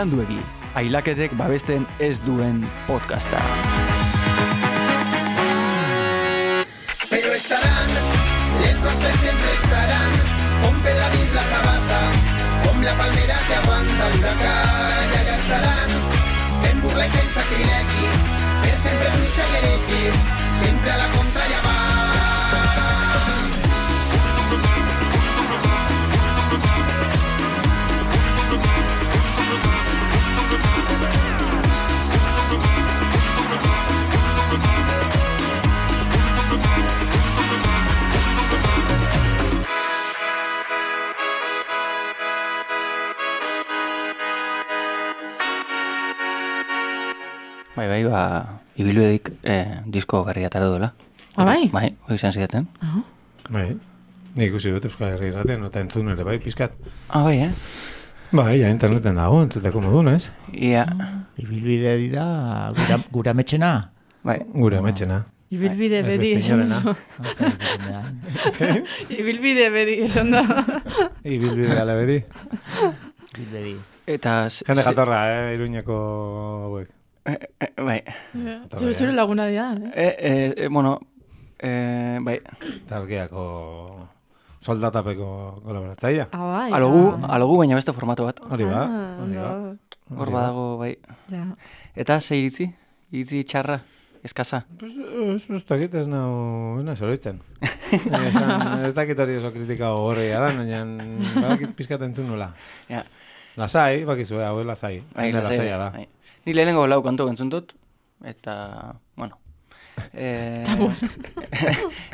beranduegi, ailaketek babesten ez duen podcasta. Pero estarán, les nostres siempre estarán, con Pedradís la sabata, con la palmera que aguanta el huracán, y allá estarán, fent burla y fent sacrilegi, per sempre bruixa i heretge, sempre a la contra ja van. Bai, ibilbedik disko berria atera duela. Bai? Bai, hori izan zidaten. Bai, nik ikusi dut Euskal Herri irratean, eta entzun ere bai, pizkat. Bai, Bai, ja interneten dago, entzuteko modun, ez? Ia. Ibilbide dira gura metxena. Bai. Gure ametxena. Ibilbide Ez bedi beste esan inorena. da. Ibilbide bedi esan da. Ibilbide gale bedi. Ibilbedi. Eta... Jende jatorra, Iruñeko hauek. Bai. Zure laguna dira, Bai. Talgeako soldatapeko kolaboratzaia. Bai. Alogu, baina beste formato bat. Hori ba, hori ba. Hor badago, bai. Ja. Eta ze iritzi? Iritzi txarra, eskasa. Pues, ez dakit ez nahi zoroitzen. Ez dakit hori oso kritika horreia da, baina badakit pizkat entzun nola. Ja. Lasai, bakizu, hau lasai. Bai, Lasaia da. Bai. Ni lehenengo lau kantu entzun dut, eta, bueno.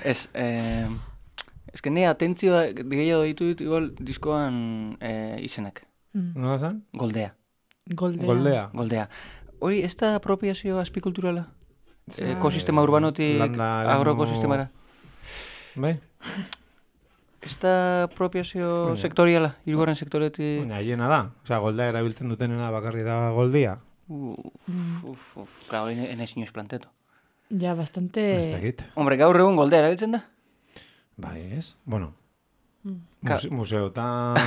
Ez que nire atentzioa gehiago ditu dut igual diskoan izenak. Nola zan? Goldea. Goldea. Hori, ez da apropiazio azpikulturala? Ekosistema urbanotik agroekosistemara? Bai? Ez da apropiazio sektoriala, hirugarren sektoretik? Baina, hiena da. Osea, goldea erabiltzen dutenena bakarri da goldia. Claro, enez inoiz planteto. Ja, bastante... Ez dakit. Hombre, gaur egun goldea erabiltzen da? Bai, ez? Bueno. Museotan...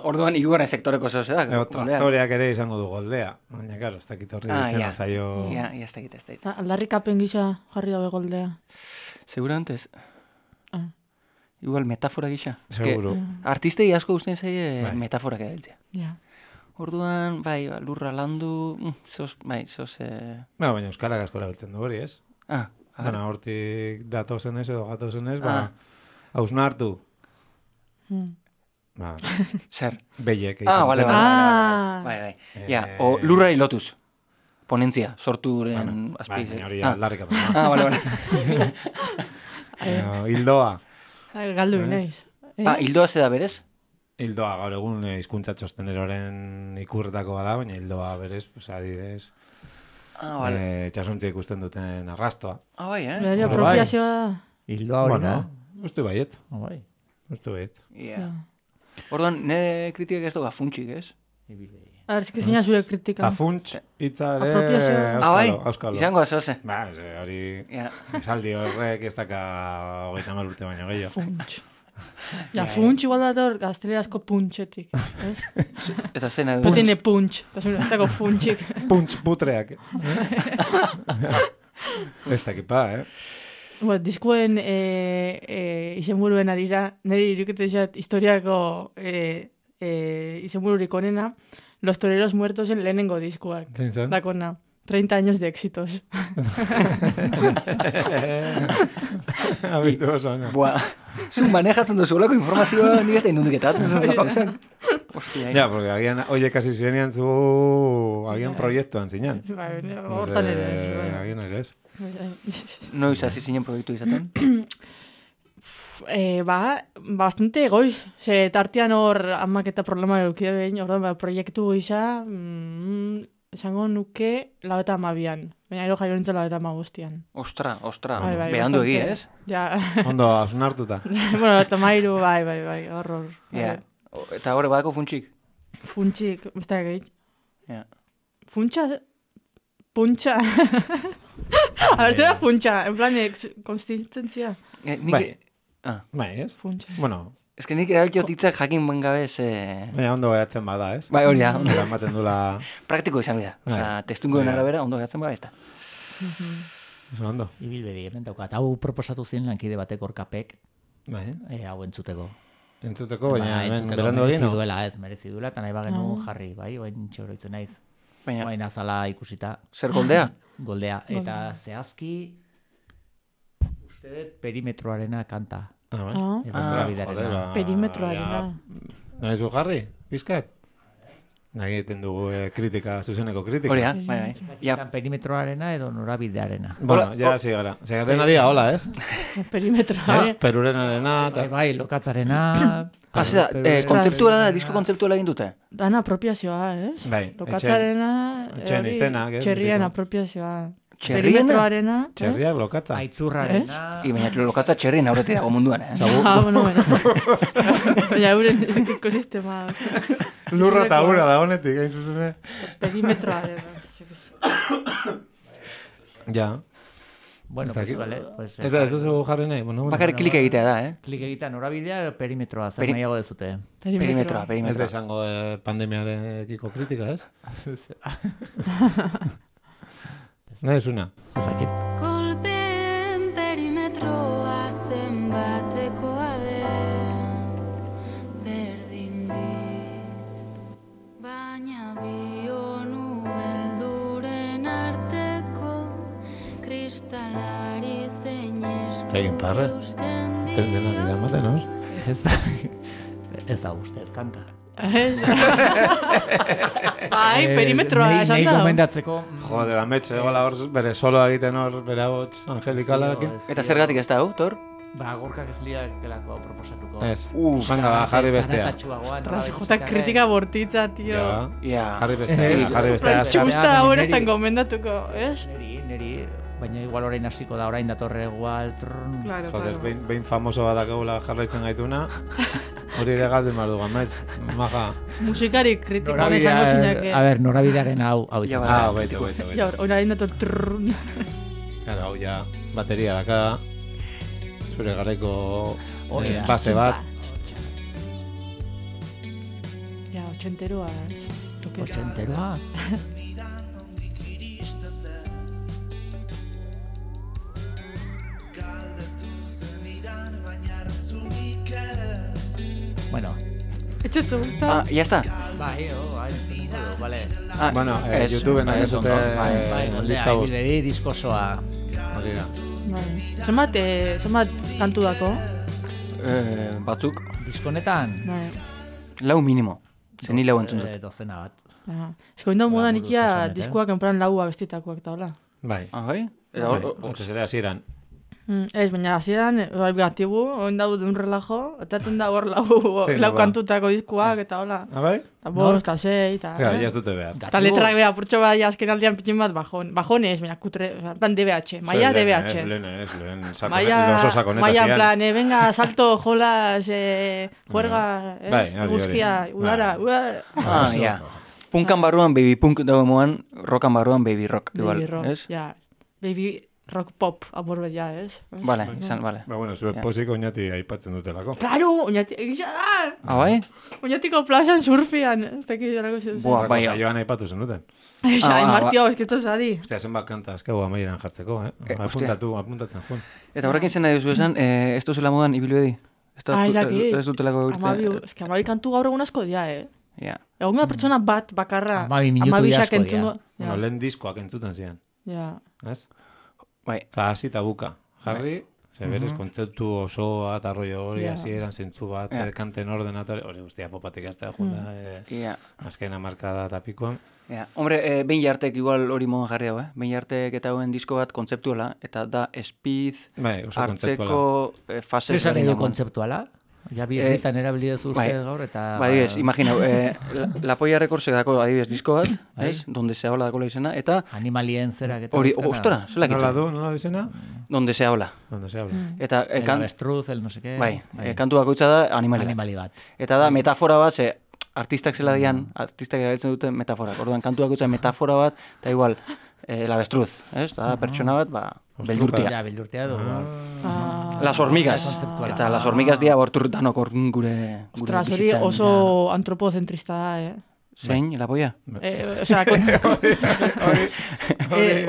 Orduan hirugarren sektoreko zehose da. Traktoreak ere izango du goldea. Baina, karo, ez dakit horri ditzen azaio... Ja, ez dakit. Aldarrikapen gisa jarri dabe goldea. Seguramente ez. Igual metafora gisa. Seguro. Artistei asko guztien zaie metaforak erabiltzea. Ja. Orduan, bai, lurra landu, baina euskarak asko erabiltzen du hori, ez? Baina, hortik datozenez edo gatozenez, hausnartu. Zer? Behiek. Bale. Bai. Ja, o lurrari lotuz. Ponentzia, sorturen azpiz. Baina hori aldarrik apen. Bale. Hildoa. Galdu naiz. Hildoa zeda berez? Hildoa gaur egun hizkuntza txosteneroren ikurretako bada, baina hildoa berez, adibidez, txasuntzi ikusten duten arrastoa. Bai, Beri apropiazioa da. Hildoa hori da. Uste baiet. Bai. Uste baiet. Orduan, nire kritikak ez duga funtsik, ez? Ez que zina zure kritika. Ta funts, hitza ere auskalo. Izango azoze. Ba, hori, esaldi horrek ez daka 30 urte baino gehiago. Funts. Ja, funts igual dator gaztelerazko puntxetik. Eta zena du. Petene puntx. Ez dago funtsik. Puntx putreak. Ez dakipa, Diskuen izenburuen arira, niri iruketexat historiako izenbururik onena, Los Toreros Muertos en lehenengo diskuak. Dakona. 30 años de éxitos. Abitu oso, no? Buah, zu manejatzen duzuelako informazioa nik ez da indundiketat. Ja, porque agian, oie, kasi zirenean zu, agian proiektuan zinean. Hortan ere ez. Agian ere ez. Noiz hasi zinen proiektu izaten? Bastante goiz. Tartean hor amak eta problema eukide behin, proiektu gisa, esango nuke 92an. Baina ero jaio nintzen 92an. Ostra. Behandu egi, ez? Ja. Ondo, asunartuta. Bueno, 93, bai, horror. Eta horre badako funtsik? Funtsik, ez da egeit. Funtsa. A ver, zera funtsa, en plan, konsistentzia. Bai, ez? Funtsa. Bueno, Ez que nik erabiltio titzak jakin ben gabe Baina ondo gaiatzen bada, ez? Bai, hori da. Ondo ematen dula... Praktiko izan bida. Osa, testungoen arabera ondo gaiatzen bada ez da. Eso ondo. Ibilbedi, hemen daukat. Hau proposatu zien lankide batek orkapek, Bai. hau entzuteko. Entzuteko, baina hemen entzuteko berandu egin, merezi duela, ez, merezi duela, eta nahi bagenu jarri, bai, bain txoroitzen naiz. Baina, Baina azala ikusita. zer goldea? Goldea. Eta zehazki, uste dut perimetroarena kanta. Bai. Norabidearena. Perimetroarena. Nahi zu jarri, pizkat? Nahi egiten dugu kritika, zuzeneko kritika. Hori da, bai. Ja. Perimetroarena edo norabidearena. Bueno, ja hasi gara. Segaten adia, hola, ez? Perimetroa. Perurenarena... Bai, lokatzarena... Hasi da, kontzeptuala da, disko kontzeptuala egin dute. Dan apropiazioa, ez? Bai, Lokatzarena... etxeen iztenak, ez? Txerrien apropiazioa. Txerriena? Perimetroarena. Txerriak lokatza. Aitzurrarena... I baina lokatza txerrien aurretik dago munduan, eh? Bueno. Baina euren ekosistema... Lurra eta ura da honetik, hain zuzen. Perimetroarena. Ja. Bueno, pues vale. Pues, Ez duzu jarri nahi? Bueno, Bakarrik klik egitea da, eh? klik egitea norabidea edo perimetroa, zer nahiago dezute. Perimetroa. Ez da izango pandemiarekiko kritika, ez? Nahi zuna. Ezakit. Kolpeen perimetroa zenbatekoa den berdin dit, baina bionu belduren arteko kristalari zein Egin parre. eusten Dena bida ematen, hor? Ez da uste, kanta. Bai, perimetroa esan Nei da. gomendatzeko... Joder, ametxe, gola hor, bere soloa egiten hor, bere ahots angelikalakin. Eta zergatik ez da, hau, Tor? Ba, gorkak ez liakelako proposatuko. Ez, venga, ba, jarri bestea. Ostras, jota kritika bortitza, tio. Ja, jarri bestea. Txusta hor estan gomendatuko, ez? Neri, baina igual orain hasiko da, orain datorre igual... Claro, Joder, claro. behin famoso bat dakagula jarraitzen gaituna, hori ere galdu mardu gamaiz, maja. Musikari kritikoan esango zinake. A ber, norabidearen hau izan. Baitu. Ja, orain dator trrrrn. Claro, hau ja, bateria daka, zure garaiko Hori da. base bat. Ja, 80eroa. Otxenteroa. Bueno. Etxetzu, gusta? Ya está. Bai, vale. Bueno, ez, YouTubeen bai, nahi ez zute ondo, Bai, diska bost. ibilbedi diskosoa. Hori da. Zenbat kantu dako? Batzuk, Diskonetan? Bai. lau minimo. Zeni lau entzun dut. Dozena bat. Ez que oinda modan buruz ikia esan, diskoak enpran laua bestitakoak eta hola. Bai. Ah, bai? Otez ere hasieran. Ez, baina hasieran gatibu, oin daude un relajo, etaten da hor Zein lau ba? kantutako diskoak eta hola. Ah, bai? Eta bost, eta sei, eta... Ja, ez dute behar. Eta letrak beha, purtxo bai azken aldean pitxin bat bajonez, baina kutre, en plan DBH, maia DBH. Lehen sako, Maia, oso sakoneta maia en zian. plan, venga, salto, jolas, juerga, Bai, hori, guzkia, hori. udara, Ah, ja. Punkan barruan baby punk dago moan, rockan barruan baby rock. Baby Igual, rock, ez? ja. Baby rock pop, amor bet, ja, ez? Vale, izan, vale. Ba, bueno, zuek pozik oinati aipatzen dutelako. Claro, oinati, egisa da! Ah, bai? Oinatiko plazan surfian, ez dakit jorako zeu. Buah, bai. Joan aipatu zenuten. Ai, Ah, martio, esketzo zadi. Ostia, zenbat kanta azkegu amaieran jartzeko, apuntatzen joan. Eta horrekin zen nahi duzu esan, ez duzela modan ibilbedi? Ez dutelako Eske amabi kantu gaur egun asko dia, Ja. Egon da pertsona bat bakarra. 12 minutu amabisak asko dira. entzungo. Bueno, lehen diskoak entzuten zian, Ja. ez? Bai. Eta hasi eta buka. Jarri, berez, kontzeptu osoa eta rollo hori, Ja. hasieran zentzu bat, kanten ordenatore, hori guztia popatik hartzea junda, Ja. azken hamarkada eta pikoan. Ja. Hombre, behin jartek igual hori modan jarri hau, Behin jartek eta hauen disko bat kontzeptuala, eta da speed, Bai, oso hartzeko fase Zer edo kontzeptuala? Ja birritan erabili duzu uste gaur eta... Ba, adibidez, imagina, La Polla Recordsek dako adibidez disko bat, ez? Donde se habla dakola izena, eta... Animalien zerak eta... Hori, ostora, zela Nola du, nola dizena? Donde se habla. Donde se habla. Eta... El avestruz, el no sé qué... Bai, kantu bakoitza da animali bat. Eta da metafora bat, ze artistak zela dian, artistak erabiltzen dute metaforak. Orduan, kantu bakoitza metafora bat, eta igual, el avestruz, ez? Da, pertsona bat, ba, beldurtia. Ja, beldurtia du. Las hormigas. kontzeptuala. Eta las hormigas dia bortur danok hor gure Ostras, hori bizitzan. oso antropozentrista da, Zein, la polla? Osea,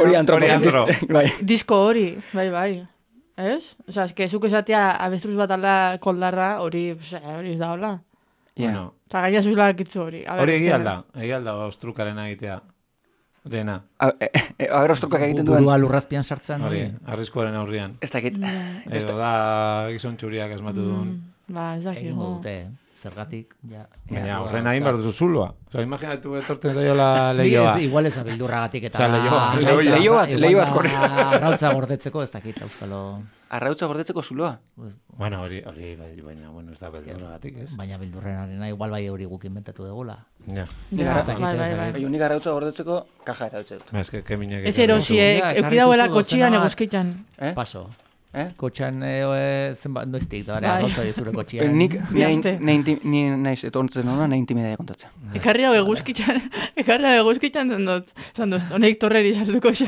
Hori antropozentrista. Bai. disko hori, bai. Ez? Osea, eske zuk esatea abestruz bat ala koldarra, hori ez da hola. Bueno, Eta gaina zuzula kitzu hori. A ber, hori eske- egia alda ostrukaren egitea. Rena, Aber ostrukak egiten duen. Burua lurrazpian sartzen hori, hori. arriskuaren aurrian. Ez dakit. Edo da gizon txuriak asmatu duen. Ba, ez Egingo dakigu. dute, zergatik. Ja, Baina horren hain behar duzu zuloa. Osa, imaginatu etortzen zaiola lehioa. Igual ez abildurragatik eta... Osea, leiho bat korre. Arrautza gordetzeko ez dakit, euskalo... Arrautza gordetzeko zuloa. Bueno, hori, baina, ez da beldurragatik, ez? Baina bildurrenarena igual bai hori guk inventatu degula. Ja. Ja, Ez dakit, ez bai. dakit. Nik arrautza gordetzeko kaja erautze dut. Ez que minek... Ez erosiek, Ja, eukidauela ekarri duzu kotxian dozena bat. eguzkitan. Paso. Eh? Kotxan zenbat noiztik, da, Bai. arrautza zure kotxian. Nik Bihazte. ni naiz etortzen hona nahi intimidadia kontatzen. Ekarri hau eguzkitan zen dut. Zan dut, honek torreri salduko xe.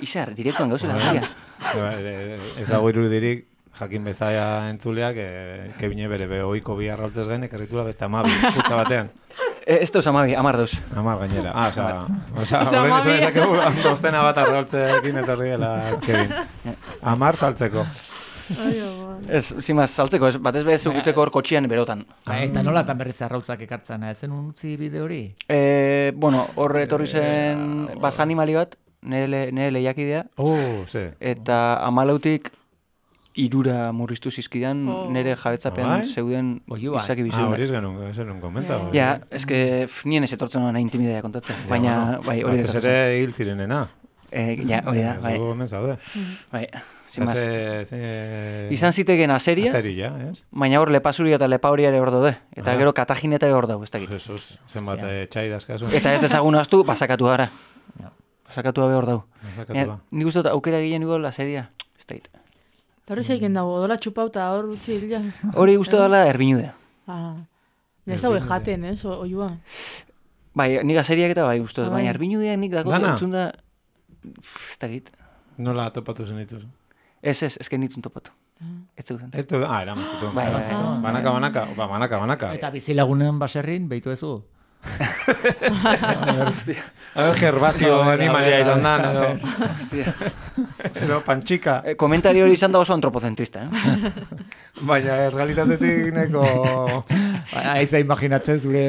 Izar, direktuan gauzela. Maria. Ez dago irudirik, jakin bezaia entzuleak, kebine bere behoiko bi arrautzez gain, ekarritula beste amabi, kutsa batean. Ez dauz amabi, 10 Amar gainera. Osea, Osa, horren izan amabi. esakegu, doztena bat arrautzekin etorri dela Kevin. 10 saltzeko. Ez, zimaz, saltzeko, ez, batez behar zugutzeko hor kotxian berotan. Eta nolatan berriz arrautzak ekartzen, ezen utzi bide hori? Bueno, hor etorri zen bas animali bat, nire lehiakidea, Ze. eta 14tik 3 murriztu zizkidan nire jabetzapean Bai? zeuden Oiu, bai. izaki Hori bizunak. ez genuen komenta. Ja, eske nien ez etortzen hona intimidadia kontatzen, baina, bai, hori Batez gertatzen. ere hil zirenena. Ja, hori da, bai, Zugu hemen zaude. bai, zimaz. Ze... Izan ziteken aseria, Asteria, ez? baina hor lepazuria eta lepa hori ere hor daude. Eta Ah. gero katajineta hor dau, ez dakit. Jesus, zenbat txai dazkazu. Eta ez dezagun ahaztu, basakatu gara. Ja. Basakatu gabe hor dau. Basakatua. Nik uste dut aukera gehien igual la seria. Ez dakit. Eta hori zeiken dago, odola txupauta hor utzi hila. Hori uste dela erbinudea. Ja ez dago jaten, ez, oiua. Bai, nik aseriak eta bai uste dut, Bai. baina erbinudeak nik dako Dana? entzun da... Ez dakit. Nola topatu zen dituzu? Ez que nitzen topatu. Ez zeuden. Ez du, eraman zituen. Bai, bai. Banaka. Eta bizilagunen baserrin, behitu ezu? Gerbazio animalia izan da, edo pantxika. Komentari hori izan da oso antropocentrista, eh? Baina realitatetik neko... Aiza imaginatzen zure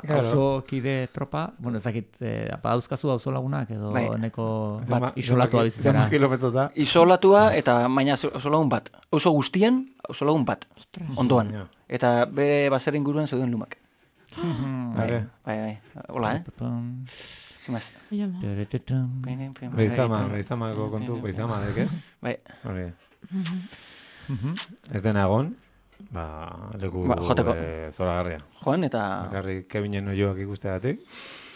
Claro. auzo kide tropa, bueno, ez dakit, dauzkazu auzo lagunak edo Bai. neko isolatua bizitzera. Zenbat kilometrota. Isolatua eta baina oso lagun bat. Oso guztian, oso lagun bat. Ondoan. Ja. Eta bere baserri inguruan zeuden lumak. Bai. Bai. Hola, eh? Zimaz. Beiztamako kontu, beiztama, dekez? Bai. Hori. Ez dena egon, leku joteko. zoragarria. Joan eta... Bakarrik Kevinen oioak ikusteagatik.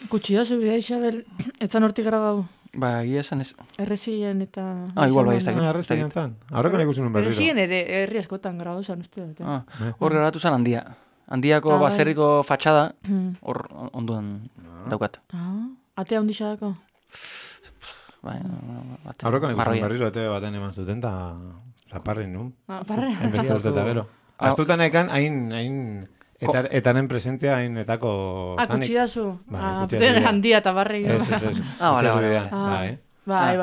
Kutsi da zubidea Isabel, etzan hortik grabau. Ba, egia esan ez. Errezien eta... Igual bai, ez dakit. Arrezten zan. Aurreko ikusi nuen berriro. Errezien ere herri askotan grabau zan uste dut. Hor geratu zen handia. Handiako bai. baserriko fatxada, hor onduan daukat. Atea hundisa dako. Bai, Aurreko ikusi nuen berriro ete baten eman zuten, eta zaparrin nun. Parre. Enbeste urte eta gero. Astutan ekan, hain... Etaren presentzia hain etako zanik. Kutsi da zu. Bai, kutsi da zu. Handia eta barri. Ez. Vale. Bai.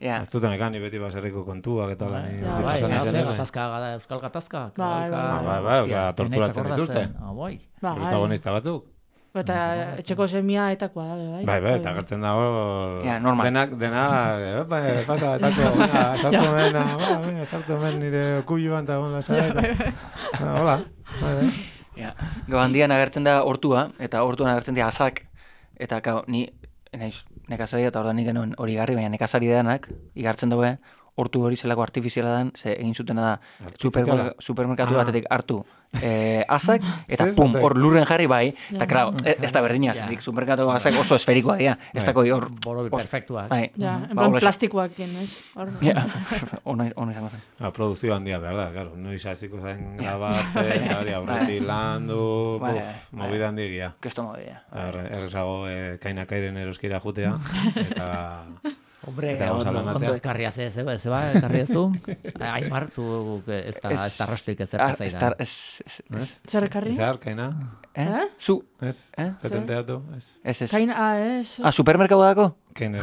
Ja. Astutan ekan, ni beti baserriko kontuak eta lan. Bai, gatazka gada, euskal gatazka. Bai, oza, torturatzen dituzte. Bai. Protagonista batzuk. Eta etxeko semia etakoa da, bai. Bai, eta gertzen dago... Ja, normal. Denak, pasa, etako, sartu men nire okuluan eta gon lasa. Hola. Ja. Gau handian agertzen da hortua, eta hortuan agertzen dira asak, eta ni naiz nekazaria eta ordan nik genuen hori garri, baina nekazari denak, igartzen daue, hortu hori zelako artifiziala dan, ze egin zutena da supermerkatu batetik hartu asak, eta pum, hor lurren jarri bai, eta klar, ez da berdina, zetik supermerkatu asak oso esferikoa dira, ez dako hor... Borobi perfektuak. Ja, en plan plastikoak, ez? Ja, ono izango zen. Produkzio handia behar da, claro, noiz hasiko zen grabatzen, aurretik landu, movida handigia. Kesto movida. Errezago kainakairen eroskira jutea, eta Hombre, Eta gauza ondo lanatzea. ekarria zeba, ekarri ezu. Aimar, zu ez da rostoik ezerka zaidan. Zer ekarri? Zer, kaina? Zu? Ez, zaten teatu, ez. Ez. Kain, ez. Supermerkatu dako? Kaina,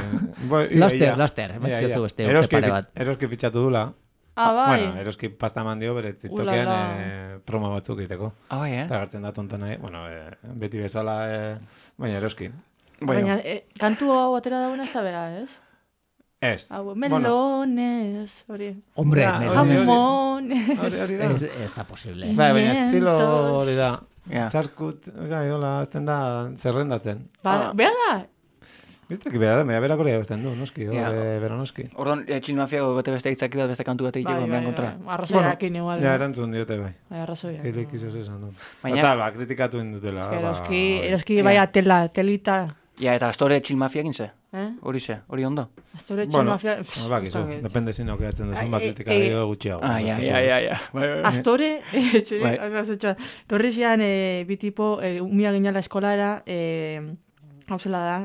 Laster, emazkiozu beste urte pare bat. Eroski fitxatu dula. Bai. Bueno, eroski pasta eman dio, bere TikTokean promo batzuk egiteko. Bai, Eta gartzen da tonta nahi, bueno, beti bezala, baina eroski. Baina, kantu hau atera dagoen ez da bera, ez? Ez. Melones, hori. Hombre, Jamones. Hori da. ez da posible. Bai, baina estilo hori da. Ja. Txarkut, hola, azten da zerrendatzen. Bera da? Bizteki bera da, berak hori abestean du, noski, Ja. bera noski. Ordon, Chill Mafiago gote beste hitzaki bat, beste kantu bat egiteko, behan kontra. Arrazoiakin igual. Ja, erantzun diote bai. Arrazoiak. Teilek izaz esan du. Baina- Total, kritikatu indutela. Eroski baia telita. Ja, eta Astore Chill Mafiakin ze? Hori ze, hori ondo? Astore Chill Mafia... Bakizu, depende zin aukeatzen duzun, kritikari gutxiago. Ja. Astore, torri zian bi tipo, umia ginala eskolara, hau zela da,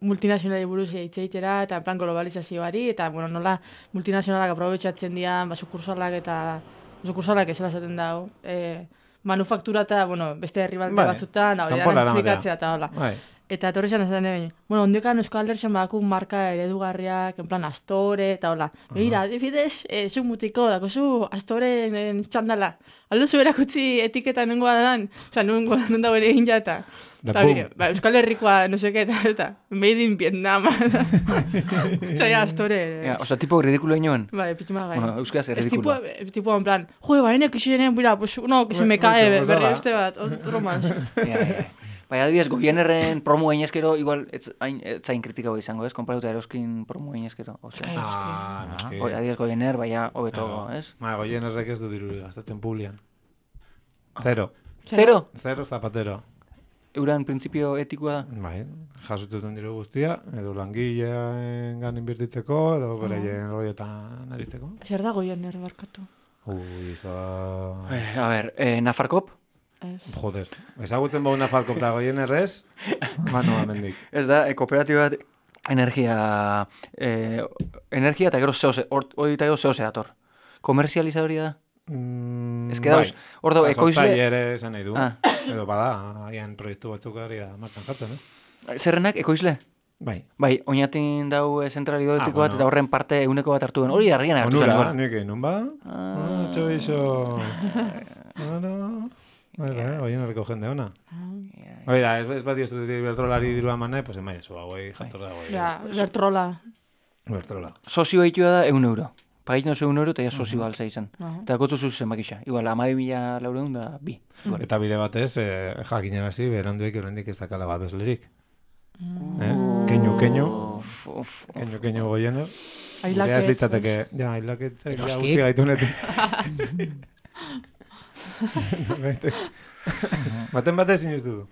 multinazionali buruz hitz egitera, eta en plan globalizazioari, eta bueno, nola multinazionalak aprobetxatzen dian, sukursalak eta sukursalak ezela zaten dau, manufaktura eta, bueno, beste herribalde batzutan, hori da, esplikatzea eta hola. Eta etorri zen esan egin, bueno, ondekan Euskal Herrian badaku marka eredugarriak, en plan Astore, eta hola. Begira, adibidez, zu mutiko, dako zu Astoren txandala. Aldo zu erakutzi etiketa nengoa dan, oza, nun dago ere egin jata. Euskal Herrikoa, no seke, eta made in Vietnam. Oza, ja, Astore. Oza, tipo ridikulo inoen? Bai, pitxuma gai. Bueno, euskaz ridikulo. Es tipo, en plan, joe, baina kisenen, mira, pues uno que se me cae, berri este bat, otro más. Bai, adibidez, Goienerren promo gainezkero, igual, etzain kritikago izango, ez? Konparatuta Eroskin promo gainezkero. Noski. Adibidez, Goiener, baina, hobeto, ez? Goienerrek ez du diruri gastatzen publian. Zero zapatero. Euran printzipio etikoa da? Bai, jasotuten diru guztia, edo langileen gan inbertitzeko, edo beraien roiotan aritzeko. Zer da Goiener barkatu? A ver, Nafarkop? Joder, ezagutzen bau Nafarkop da Goienerrez, mano amendik. Ez da, kooperatiba bat energia eta gero zeose, hori eta gero zeose dator. Komerzializadoria da? Ez que dauz, hor dago, ekoizle... Sortzaile ere esan nahi du, edo bada, agian proiektu batzuk ari da martan jartzen, Zerrenak, ekoizle? Bai, oinatin dau zentral hidroletiko bat, eta horren parte euneko bat hartu den. Hori argian hartu zen. Onura, nik egin, non ba? Txoizo... Goienerreko jende ona. Hori da, ez bat diozu bertrolari dirua manai, pues emai eso, hauei jatorra hauei. Ja, bertrola. Sozioa hitua da €1. Pagaitzen oso €1 eta ja sozio alza izan. Eta gotu zuzen bakisa. Igual, 12.400 da bi. Eta bide batez, jakinen hasi, beranduek oraindik ez dakala babeslerik. Keinu Goiener. Gure ez litzateke, ja, ailaketek ja utzi gaitunetik. Baten batez inistu du.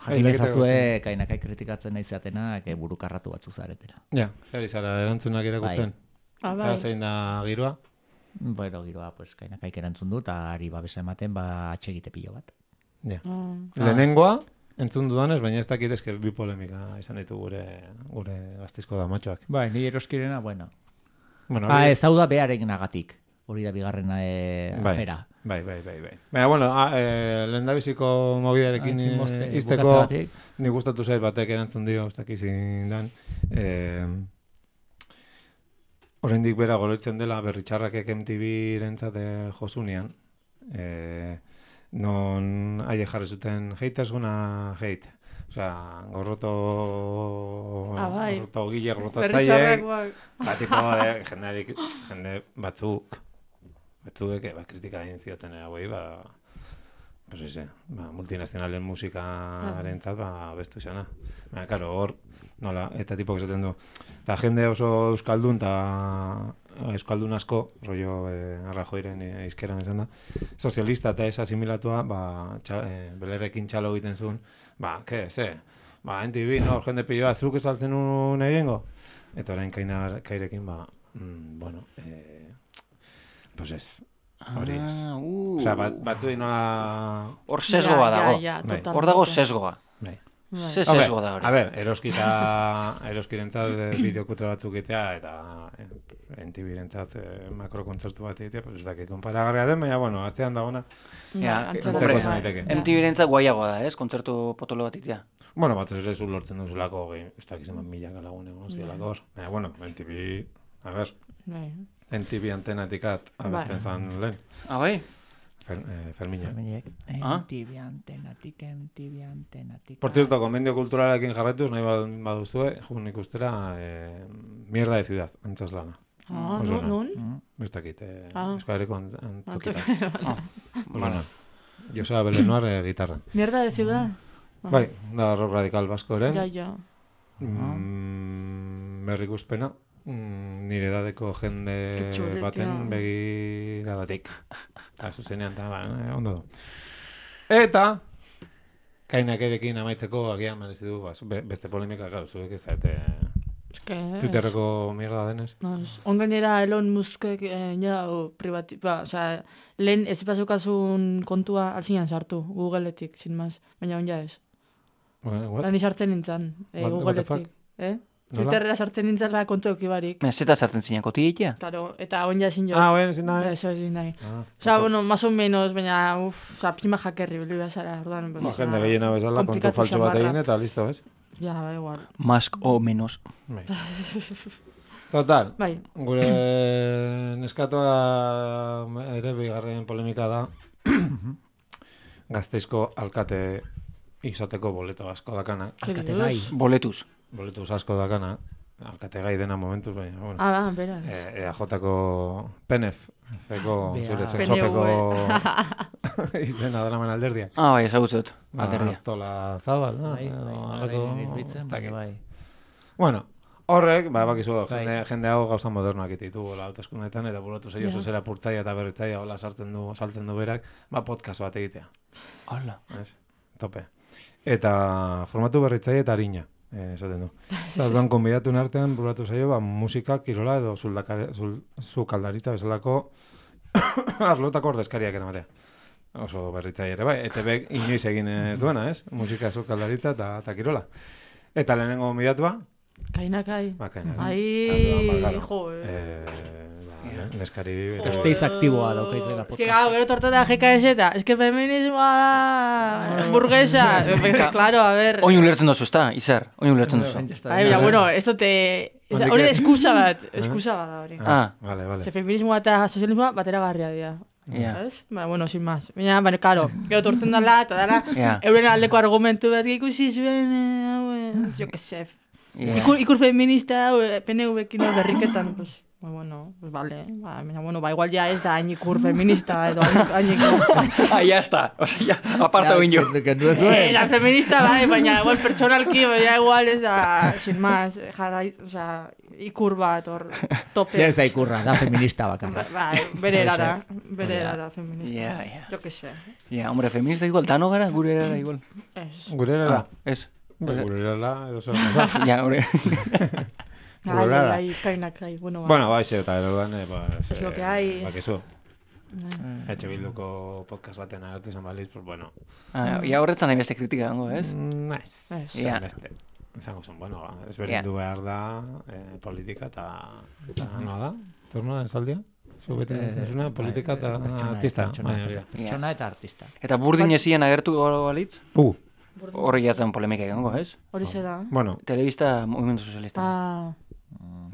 Jakin ezazue, kainakai kritikatzen nahi zeatenak burukarratu batzu zaretela. Ja, zer izara, erantzunak irakurtzen. Eta zein da giroa? Bueno, giroa, pues, kainakaik erantzun du, eta ari babesa ematen, atxegite pilo bat. Ja. Lehenengoa, entzun dudanez, baina ez dakit eske bi polemika izan ditu gure gaztizko damatxoak. Bai, ni eroskirena, bueno. Ez hau da beharen nagatik. Hori da bigarren afera. Bai. Baina, bueno, lehen da biziko mobidarekin izteko, nik gustatu zait batek erantzun dio, ez dakizin dan. Oraindik bera goroitzen dela berritxarrakek MTV-rentzat josunean. Non aie jarri zuten haters hate. Osea, gorroto gile, gorrotatzaiek. Tipo, jende batzuk kritika egin zioten hauei, multinazionalen musikarentzat bestu izana. Baina, karo, hor, nola, eta tipok esaten du. Eta jende oso euskaldun, eta euskaldun asko, rollo Rajoyren izkeran esan da, sozialista eta ez asimilatua, belerrekin txalo egiten zuen, NTV, no, jende pilloa, zuk esaltzen un egingo? Eta orain kairekin, pues ez, hori ez. Osea, batzu nola... Hor sesgoa dago. Hor dago sesgoa. Ze sesgo da hori. A ber, eroskirentzat bideokutre batzuk egitea, eta NTV-rentzat makrokontzertu bat egitea, pues ez dakit konparagarria den, baina, bueno, atzean dagona, antzeko zen daiteke. MTV-rentzat guaiagoa da, ez? Kontzertu potolo bat egitea. Bueno, bat ez zu lortzen duzulako, ez dakizen milaka lagun egon zidalako hor. Baina, bueno, NTV, a ber, NTV antennatikat abesten zan lehen. Ah, bai? Ferminak. MTV antenatik. Por cierto, konbendio kulturalekin jarraituz, nahi baduzue, jun ikustera, mierda de ciudad, antzaslana. Non? Ez dakit, Euskal Herriko antzokita. Osona. Joseba Belenoar gitarra. Mierda de ciudad? Bai, da rock radikal baskoren. Ja. Berrikuspena. Nire edadeko jende baten begiradatik. Zuzenean, ondo du. Eta, kainakerekin amaitzeko agian merezi du, beste polemika, claro, zuek ez zaite Twitterreko mierda denez. Ongainera Elon Muskek lehen ez pasukazun kontua alzinan sartu, Googleetik, sin más, baina onja ez. Lan sartzen nintzen, Googleetik. Twitterrera sartzen nintzela kontu eukibarik. Zeta sartzen zinen kotiditea? Claro, eta onja ezin jo. Oen ezin da. Eso ezin da. Bueno, más o menos, baina, prima jakerri, beli bezala, orduan. Jende gehiena bezala, kontu faltxo bat egin eta listo, ez? Ja, igual. Más o menos. Total, bai. Gure neskatoa ere bigarren polemika da Gasteizko alkate izateko boleto asko dakana. Alkate gai. Boletuz asko dakana. Alkate gai dena momentuz, baina, bueno. Beraz. EAJ-ko PNF, F-ko, zure sexopeko izena daraman alderdia. Bai, ezagutzot, alderdia. Artola Zabal, no? Bai. Bueno, horrek, bakizu, jende hau gauza modernoak ditu hauteskundeetan, eta buratu zaio zera purtzaia eta berritzaia hola saltzen du berak, podcast bat egitea. Hala. Tope. Eta formatu berritzaia eta harina. Esaten du. Orduan konbidatu artean buratu zaio musika, kirola edo sukaldaritza bezalako arlotako ordezkariak eramatea. Oso berritzaile ere bai, ETBek inoiz egin ez duena, ez? Musika, sukaldaritza eta kirola. Eta lehenengo konbidatua? Kainakai. Kainakai. Neskari... Gasteiz aktiboa daukaiz dela podcast. Gero tortata GKS-eta. Feminismoa da... burguesa. Claro, a ver... Oin ulertzen dozu, ez da, Izar? Oin ulertzen dozu. Bueno, ez dute... Hori eskusa bat da hori. Vale. Feminismoa eta sozialismoa batera garria dira. Bueno, sin más. Baina, claro, gero torten dala, eta dala, euren aldeko argumentu bat ikusi zuen, jo que se... Ikur feminista, PNV-ekin berriketan, pues... Bueno, pues vale. Igual ya ez da hain ikur feminista edo hain ikur. Ya está. O sea, ya, aparta oin jo. La feminista, baina igual pertsonalki, igual ez da, sin más, ikur bat, tope. Ya ez da ikurra, da feminista bakarra. Bere erara feminista. Jo que sé. Hombre, feminista igual, dano gara, gure erara igual. Gure erara? Ez. Gure erara, edo zer. Ja, hori. Kainakai, bueno, eta erodan, es lo que hay. Bakizu. Etxe Bilduko podcast baten agertu izan baliz, pues bueno. Ia horretzan nahi beste kritika gango, ez? Naiz. Beste. Izango zen, bueno, ezberdindu behar da politika eta noa da? Turnoa esaldia? Zubete zuzuna, politika eta artista. Pertsona eta artista. Eta burdin ezien agertu balitz? Horri jatzen polemika egango, ez? Hori zera. Bueno. Telebista Movimiento Socialista.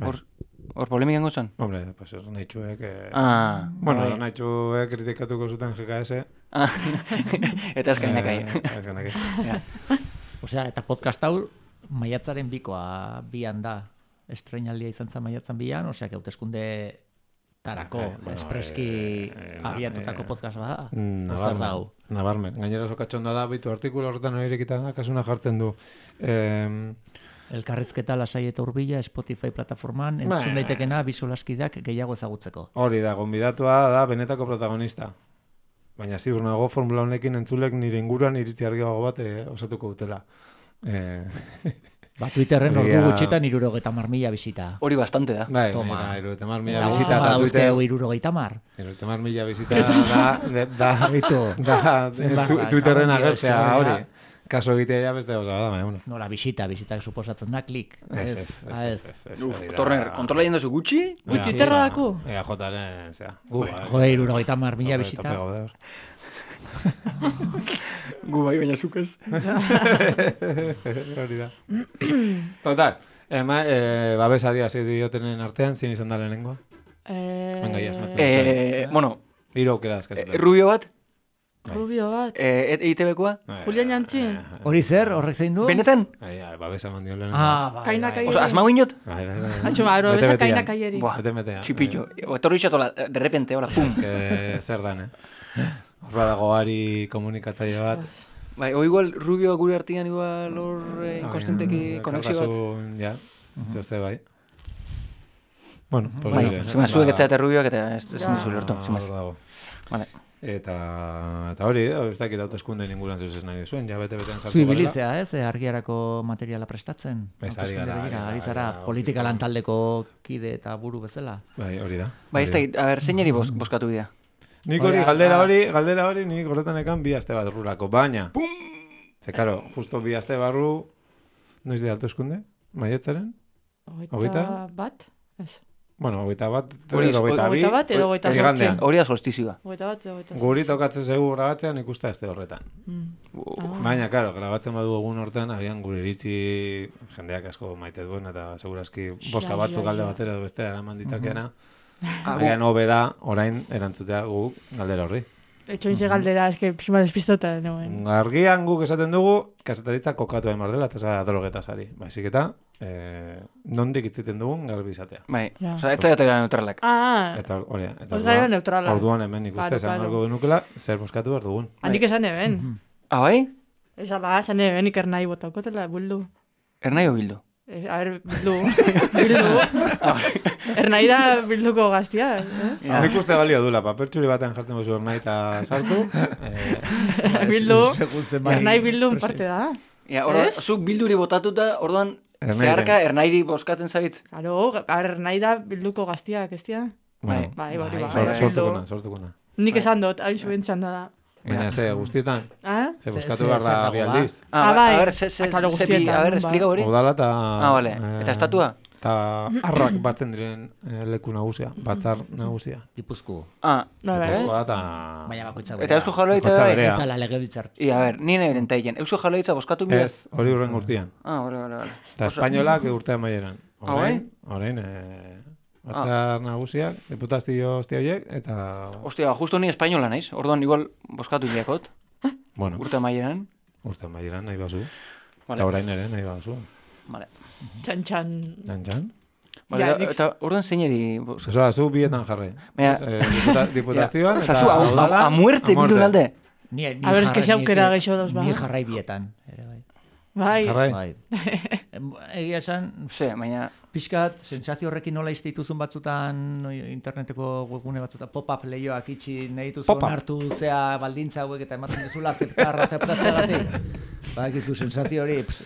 Hor polemika egango zen? Hombre, pues nahi txuek... Bueno, nahi txuek kritikatuko zuten GKS. Eta eskainak Osea, eta podcast hau maiatzaren bikoa bian da. Estreinaldia izan zen maiatzan bian, osea, hauteskunde tarako, espreski abiatutako podcast ba. Nabarmen. Gainera oso katxonda da, bitu artikulo horretan horirekita da, kasuna jartzen du. Elkarrizketa lasai eta urbila Spotify plataforman, entzun daitekena bizolaskidak gehiago ezagutzeko. Hori da, gonbidatua da benetako protagonista. Baina ziur nago formula honekin entzulek nire inguruan iritzi argiago bat osatuko dutela. Twitterren ordu gutxitan 70.000 bizita. Hori bastante da. Bai, 70.000 bizita. Eta Twitter 70.000. 70.000 bizita da Twitterren agertzea hori. Kaso egitea ja beste gauza da, baina, bueno. Nola, bisitak suposatzen da, klik. Ez. Torner, kontrola jendozu gutxi? Gutxi terra dako? Ega jotaren, zera. Jode, 70.000 bisita. Gu bai, baina zuk ez. Hori da. Total, babesadia zi diotenen artean, zin izan da lehenengoa? Venga, ya, esmatzen. Bueno, Hiru aukera askatzen. Rubio bat, Rubio bat. EITB-koa? Julian Jantzi. Hori zer, horrek zein du? Benetan? Babesa mandio lehenengo. Bai. Kaina kai. Osa, asmau inot? Bai. Atxo, aro, besa kaina kaieri. Buah, Bete-metea. txipillo. Etorri xatola, de repente, hola, pum. Zer dan, Horra dago ari komunikatzaile bat. Bai, o igual Rubio gure artian igual hor inkostenteki konexio bat. Ja, zeste bai. Bueno, pues Bai, hori. zima zuek etzaete Rubioak eta ez dizu lortu, zimaz. Vale. Eta hori, ez dakit hauteskunde inguruan zeus ez nahi duzuen, ja bete-betean sartu Zu ibilizea, ez? Argiarako materiala prestatzen. Ez, ari gara, Ari zara, politika lantaldeko kide eta buru bezala. Bai, hori da. Bai, ez dakit, a ber, zeinari boskatu bidea? Nik hori, galdera hori, nik horretan ekan 2 aste bat rurako, baina. Ze, karo, justo 2 aste barru, noiz dira hauteskunde? Maiatzaren? Hogeita bat? Ez. Bueno, 21, Hogeita bat edo 28. igandean. Hori da solstizioa. Hogeita bat edo 28. Guri tokatzen zegu grabatzean ikusta este horretan. Baina, karo, grabatzen badu egun hortan, agian gure iritzi jendeak asko maite duen, eta segurazki boska batzuk galde batera edo bestera eraman ditakeana. Agian hobe da, orain erantzutea guk galdera horri. Etxoin ze galdera, eske pixma despistota, noen. Argian guk esaten dugu, kasetaritza kokatu egin behar dela, eta zara drogetazari. Baizik eta, nondik itziten dugun garbi izatea. Bai, Ja. oza, ez zaiatera neutralak. Eta hori, Gara neutrala. orduan hemen ikuste, esan galko genukela, zer boskatu behar dugun. Handik esan eben. Ah, bai? Ez ala, esan eben ikernai botaukotela, buldu. Ernai o bildu? A ver, bildu. Ernai da bilduko gaztia, Nik uste balio dula, papertxuri batean jartzen bozu nahi eta sartu. Bildu, ernai bildun parte da. Ja, orduan, zuk bilduri botatuta, orduan, zeharka ernairi boskatzen zaitz. Claro, ernai da bilduko gaztiak, ez tia? Bueno, Bai, sortukuna. Nik esan dut, hain zuen txanda da. Baina, ze, guztietan? Ze, boskatu ze- behar da zer dago bi aldiz. bai. A ver, Akalo guztietan, a ver, bai. explica hori. Udala eta... Vale. Eta estatua? Eta arrak batzen diren leku nagusia, batzar nagusia. Gipuzku. Ah, Gipuzkoa eta... Baina bakoitza eta Eusko Jaurlaritza Bakoitza bai? berea. Ez ala legebiltzar. A ver, nire erentaien. Eusko Jaurlaritza boskatu bidea? Ez, hori urren urtean. Ah, vale. Eta espainolak urtean maieran. bai? Orain, batzar nagusiak, diputazio hostia horiek, eta... Ostia, justo ni espainola naiz. Orduan igual boskatu bideakot. Bueno, Urte maieran. urtean maieran nahi bazu. Vale. Eta orain ere nahi bazu. Vale. Txan. Txan? Vale, Ja, nik- eta orduan zeinari... Osa, zu bietan jarri. Baina- Diputazioan Osa, eta... zu, udala, a muerte bildu alde. Ni A ber, eske ze aukera geixo dauz, ba. Ni jarrai bietan. Ere, bai. Bai, Jarrai. Bai. Egia esan, Ze, baina... pixkat, sentsazio horrekin nola izte dituzun batzutan, interneteko webgune batzutan, pop-up lehioak itxi nahi dituzu Pop-up. onartu zea baldintza hauek eta ematen duzula aceptatzeagatik. Ba, egizu sensazio hori, pues,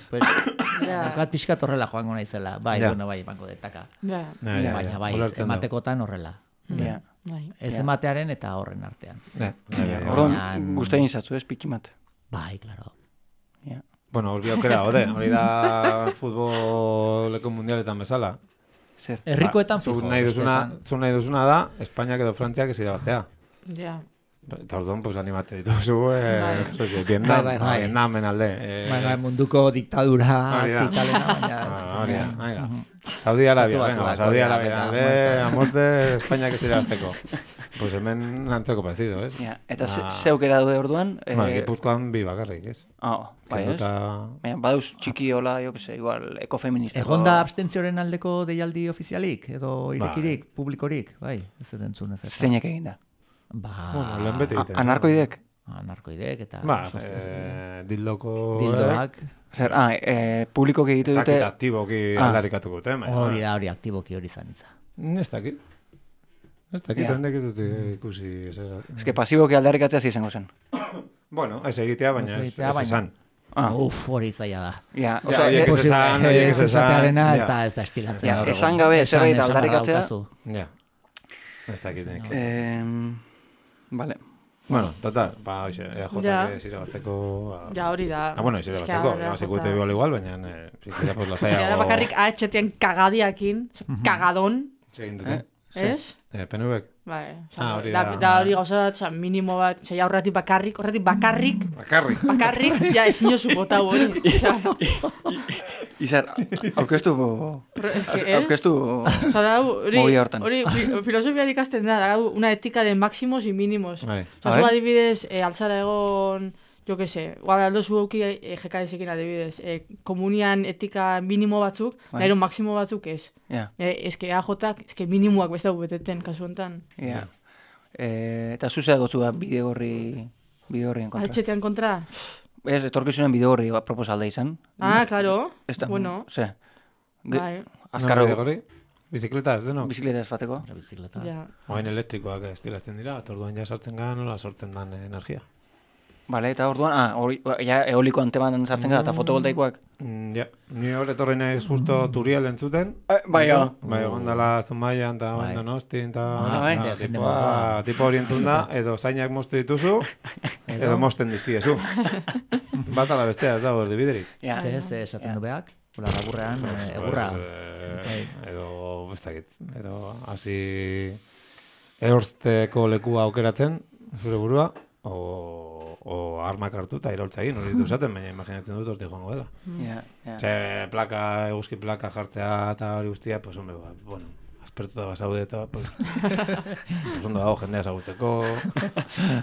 daukat pixkat horrela joango naizela. Bai, Ja. bueno, bai, emango detaka. ja, Baina bai, ulertzen dut. ematekotan horrela. Ja. bai. Ez ematearen eta horren artean. Orduan, guztain izatzu, ez, pikimat. Bai, claro. Ja. Bueno, hori aukera, hori da futboleko mundialetan bezala. Zer. Herrikoetan Zu fijo. nahi duzuna da, Espainiak edo Frantziak ez irabaztea. Ja. Eta orduan, pues animatzen dituzu, Bai, Vietnamen alde. Bai, munduko diktadura Hori da. zitalena, baina... Hori da, venga. Saudi Arabia, venga, Saudi Arabia, a muerte Espainiak ez irabazteko. Pues hemen antzeko parecido, ez? Ja. Eta ze aukera daude orduan? Gipuzkoan bi bakarrik, ez? Bai, ez? Baina, badauz txiki hola, jo que se, igual, ekofeministako... Egon da abstentzioaren aldeko deialdi ofizialik, edo irekirik, publikorik, bai, ez dut entzun ez. Zeinek egin da? Ba, Bueno, lehen beti egiten. Anarkoidek? Anarkoidek eta... Ba, dildoko... Dildoak, Zer, publikoki egite Ez dute... dakit aktiboki aldarrikatuko dute, hori da, hori aktibokio hori zanitza. Ez dakit. Ez dakit, Ja. hendek ez dut ikusi ezer. Ez que pasiboki aldarrikatzea izango zen. Bueno, ez egitea, baina Ez ez egitea, baina- esan. Uf, hori zaila da. Ja, Ja, osea, horiek ez esan, horiek ez esan. esatearena ez ja. da estilatzen. Ja, gaur egun. esan gabe zerbait esan aldarrikatzea. daukazu. Ja, ez dakit nik. Vale. Bueno, total, hoxe, Ja. EAJak zirabazteko... Ja, hori da. bueno, zirabazteko, zikute igual, baina zikute pues lasaiago... Ja, bakarrik AHTen kagadiakin, kagadon, Egin dute. ez? PNVek? Bai, hori da. da hori gauza bat, minimo bat, ja, horretik bakarrik, Bakarrik. ja, ezin jozu botau hori. Izar, aurkeztu... Osa da, Movia hortan. hori filosofiari ikasten da, una etika de máximos y mínimos. Bai. Osa, zu adibidez, altzara egon, jo que se, aldo zu auki jekadezekin adibidez, komunian etika minimo batzuk, nahiro maximo batzuk ez. Ja. Eske AJak, eske minimoak beste beteten, kasu honetan. Ja. Eta zuzea gotzu bideo horrien kontra. Altxetean kontra? Ez, etorkizunen bideo horri proposalda izan. Claro, bueno. Ze, Bai. azkarro. Hori, bizikleta ez denok? Bizikleta ez fateko. Bizikleta. Ja. Oain elektrikoak estilazten dira, eta orduan ja sartzen gara nola sortzen dan energia. Bale, eta orduan, ja eoliko anteman sartzen gara, eta fotovoltaikoak. Ja, ni hor etorri naiz justo Turiel entzuten. Bai, Bai, gondala Zumaian eta Donostin eta jende moduan. tipo hori entzun da, edo zainak mozte dituzu, edo mozten dizkiezu. Bat ala bestea ez dago erdibiderik. Ze esaten du beak, hola laburrean, egurra. Edo, ez dakit, edo hasi ehorzteko lekua aukeratzen, zure burua, o armak hartu eta iraultza egin, hori ditu esaten, baina imaginatzen dut hortik joango dela. Ze eguzki plaka jartzea eta hori guztia, pues hombre, bueno, aspertuta basaude eta, pues ondo dago jendea ezagutzeko.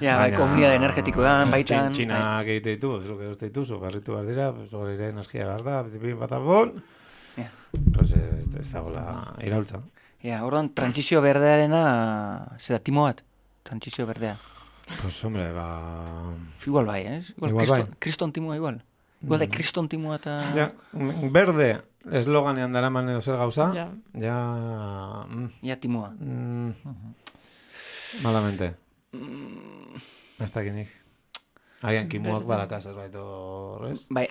Ja, bai, komunidade energetikoan, baitan. Txinak egite ditu, zuk edo dituzu, barritu behar dira, pues hori ere energia behar da, bizipin bat abon, pues ez dagoela iraultza. Ja, orduan, transizio berdearena, zera timo bat, transizio berdea. Pues hombre, Igual bai, ez? Igual bai. Kriston timoa igual. Igual da kriston timoa eta... Ja, berde, esloganean daraman edo zer gauza, Ja timoa. Malamente. Ez dakinik. Agian kimuak badakaz ez baito, ez? Bai.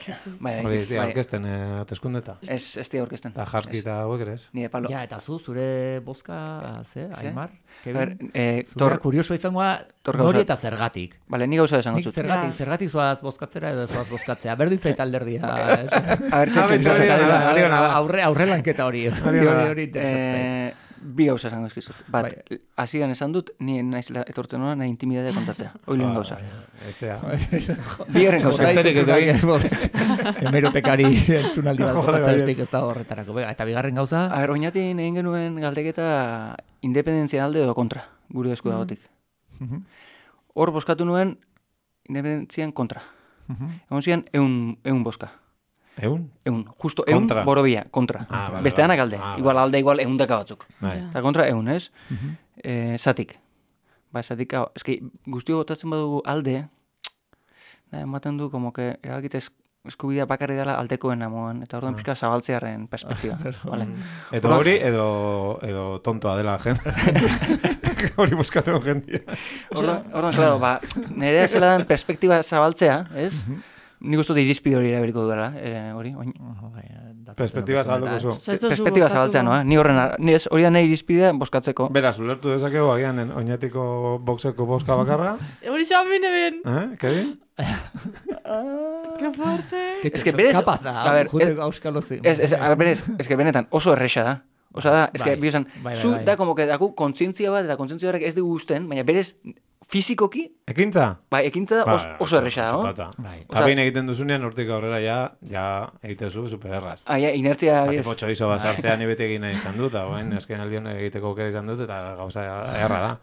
Hori ez dira orkesten ateskundeta. Ez dira orkesten. Eta jarki eta hauek ere ez? Nire palo. Ja, eta zure bozka, Aimar? Zure kuriosoa izangoa, nori eta zergatik. Bale, ni gauza esango zut. Zergatik zoaz bozkatzera edo zoaz bozkatzea. Berdin zait alderdia. Aurre lanketa hori. Hori Bi gauza esango eskizut. Bat, hasieran esan dut, ni naizela etortzen hona, nahi intimidadea kontatzea. Hoi lehen gauza. Bigarren gauza. Hemerotekari entzunaldi bat kontatzea ez da horretarako. Eta bigarren gauza? Oinatin egin genuen galdeketa independentzian alde edo kontra, gure esku dagotik. Hor boskatu nuen independentzian kontra. Egon zian eun boska. Eun? Eun, justo eun borobia, kontra. Besteanak alde. Igual alde, igual eundaka batzuk. Eta kontra eun, ez? Zatik. Zatik, eski guztio botatzen badugu alde, ematen du, como que erabakit eskubidea bakarri dela aldekoen amoan, eta orduan pixka zabaltzearen perspektiba. Edo hori, edo tontoa dela jende. Hori boskatu jendia. Orduan, claro, nerea zela den perspektiba zabaltzea, ez? Nik uste dut irizpide hori erabeliko duela, hori. Perspektiba zabalduko zu. Perspektiba zabaltzea, no? Ni hori da nahi irizpidea boskatzeko. Beraz, ulertu dezakegu agian oinatiko boxeko boska bakarra. Hori zoan bine ben. Kevin? Que fuerte. Es que berez... Kapaz da, juteko auskalo zi. Es que benetan oso erresa da. Osa da, es que, bizan, zu da como que daku kontzientzia bat, eta kontzientzia horrek ez dugu usten, baina berez fizikoki... Ekintza? Bai, ekintza da oso erresa, no? Eta behin egiten duzunean, hortik aurrera ja egiten zu supererraz. Inertzia... Tipo txorizo bat sartzea ni beti egin nahi izan dut, eta bain, esken aldion egiteko aukera izan dut, eta gauza erra da.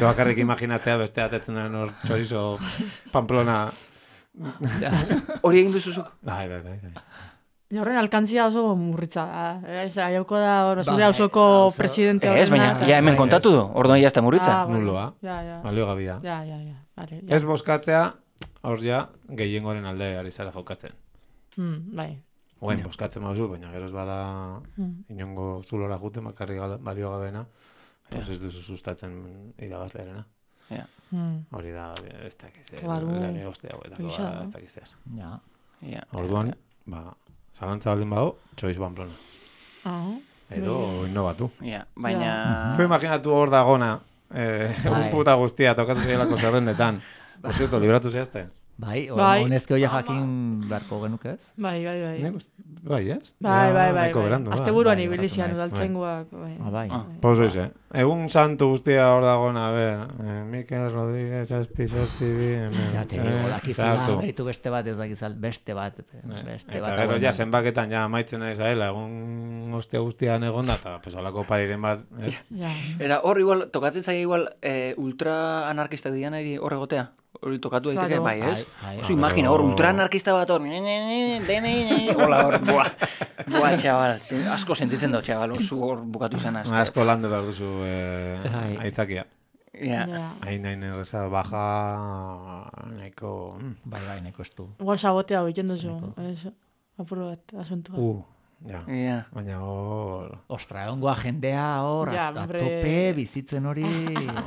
Bakarrik imaginatzea beste atetzen den hor txorizo Pamplona... Hori egin duzuzuk? Bai. Horren alkantzia oso murritza da. Aiauko da zure hausoko presidente horrena. Ez, baina, ja hemen kontatu du, orduan jazta murritza. Nuloa, balio gabia. Ez boskatzea, hor ja, gehiengoren alde ari zara jokatzen. Bai. Oen, boskatzen mauzu, baina geroz bada inongo zulora jute, makarri balio gabena, pues ez duzu sustatzen irabazlearena. Hori da, ez dakiz, lege oste hau, ez dakiz zer. Orduan, zalantza baldin badu, txoiz Pamplona. Edo innobatu. Baina... Imaginatu hor dagona, un puta guztia tokatu zeielako zerrendetan. Por cierto, libratu zehazte? Bai, Bai. honezke hoia jakin beharko genuke ez? Bai. Bai, ez? Bai. Nahiko berandu, Azte buruan Bai, ibilizian barkatu udaltzenguak. Bai. Bai. Pues oize. Egun santu guztia hor dagoen, a ver, Mikel Rodríguez, Azpi, Zortzi, bi, Ja, te digo, dakizula, behitu beste bat ez dakizal, beste bat. Eta gero ja zenbaketan ja amaitzen nahi zaela, egun guztian egonda, eta pues holako pariren bat, ez? Ja. Eta hor igual, tokatzen zaia igual ultra anarkista dian hor egotea. Hori tokatu daiteke, Claro. bai, ez? Bai. Oso imagina, hor ultra anarkista bat hor, hola hor, buah, txabal, asko sentitzen dut, txabal, oso hor bukatu izan asko. Asko landu behar duzu aitzakia. Ja. Hain erreza baja nahiko... Bai, nahiko estu. Igual sabotea egiten duzu. Apuro bat, asuntua. Ja. Ja. Baina hor... Ostra, egongoa jendea hor, Ja, a hombre. tope bizitzen hori,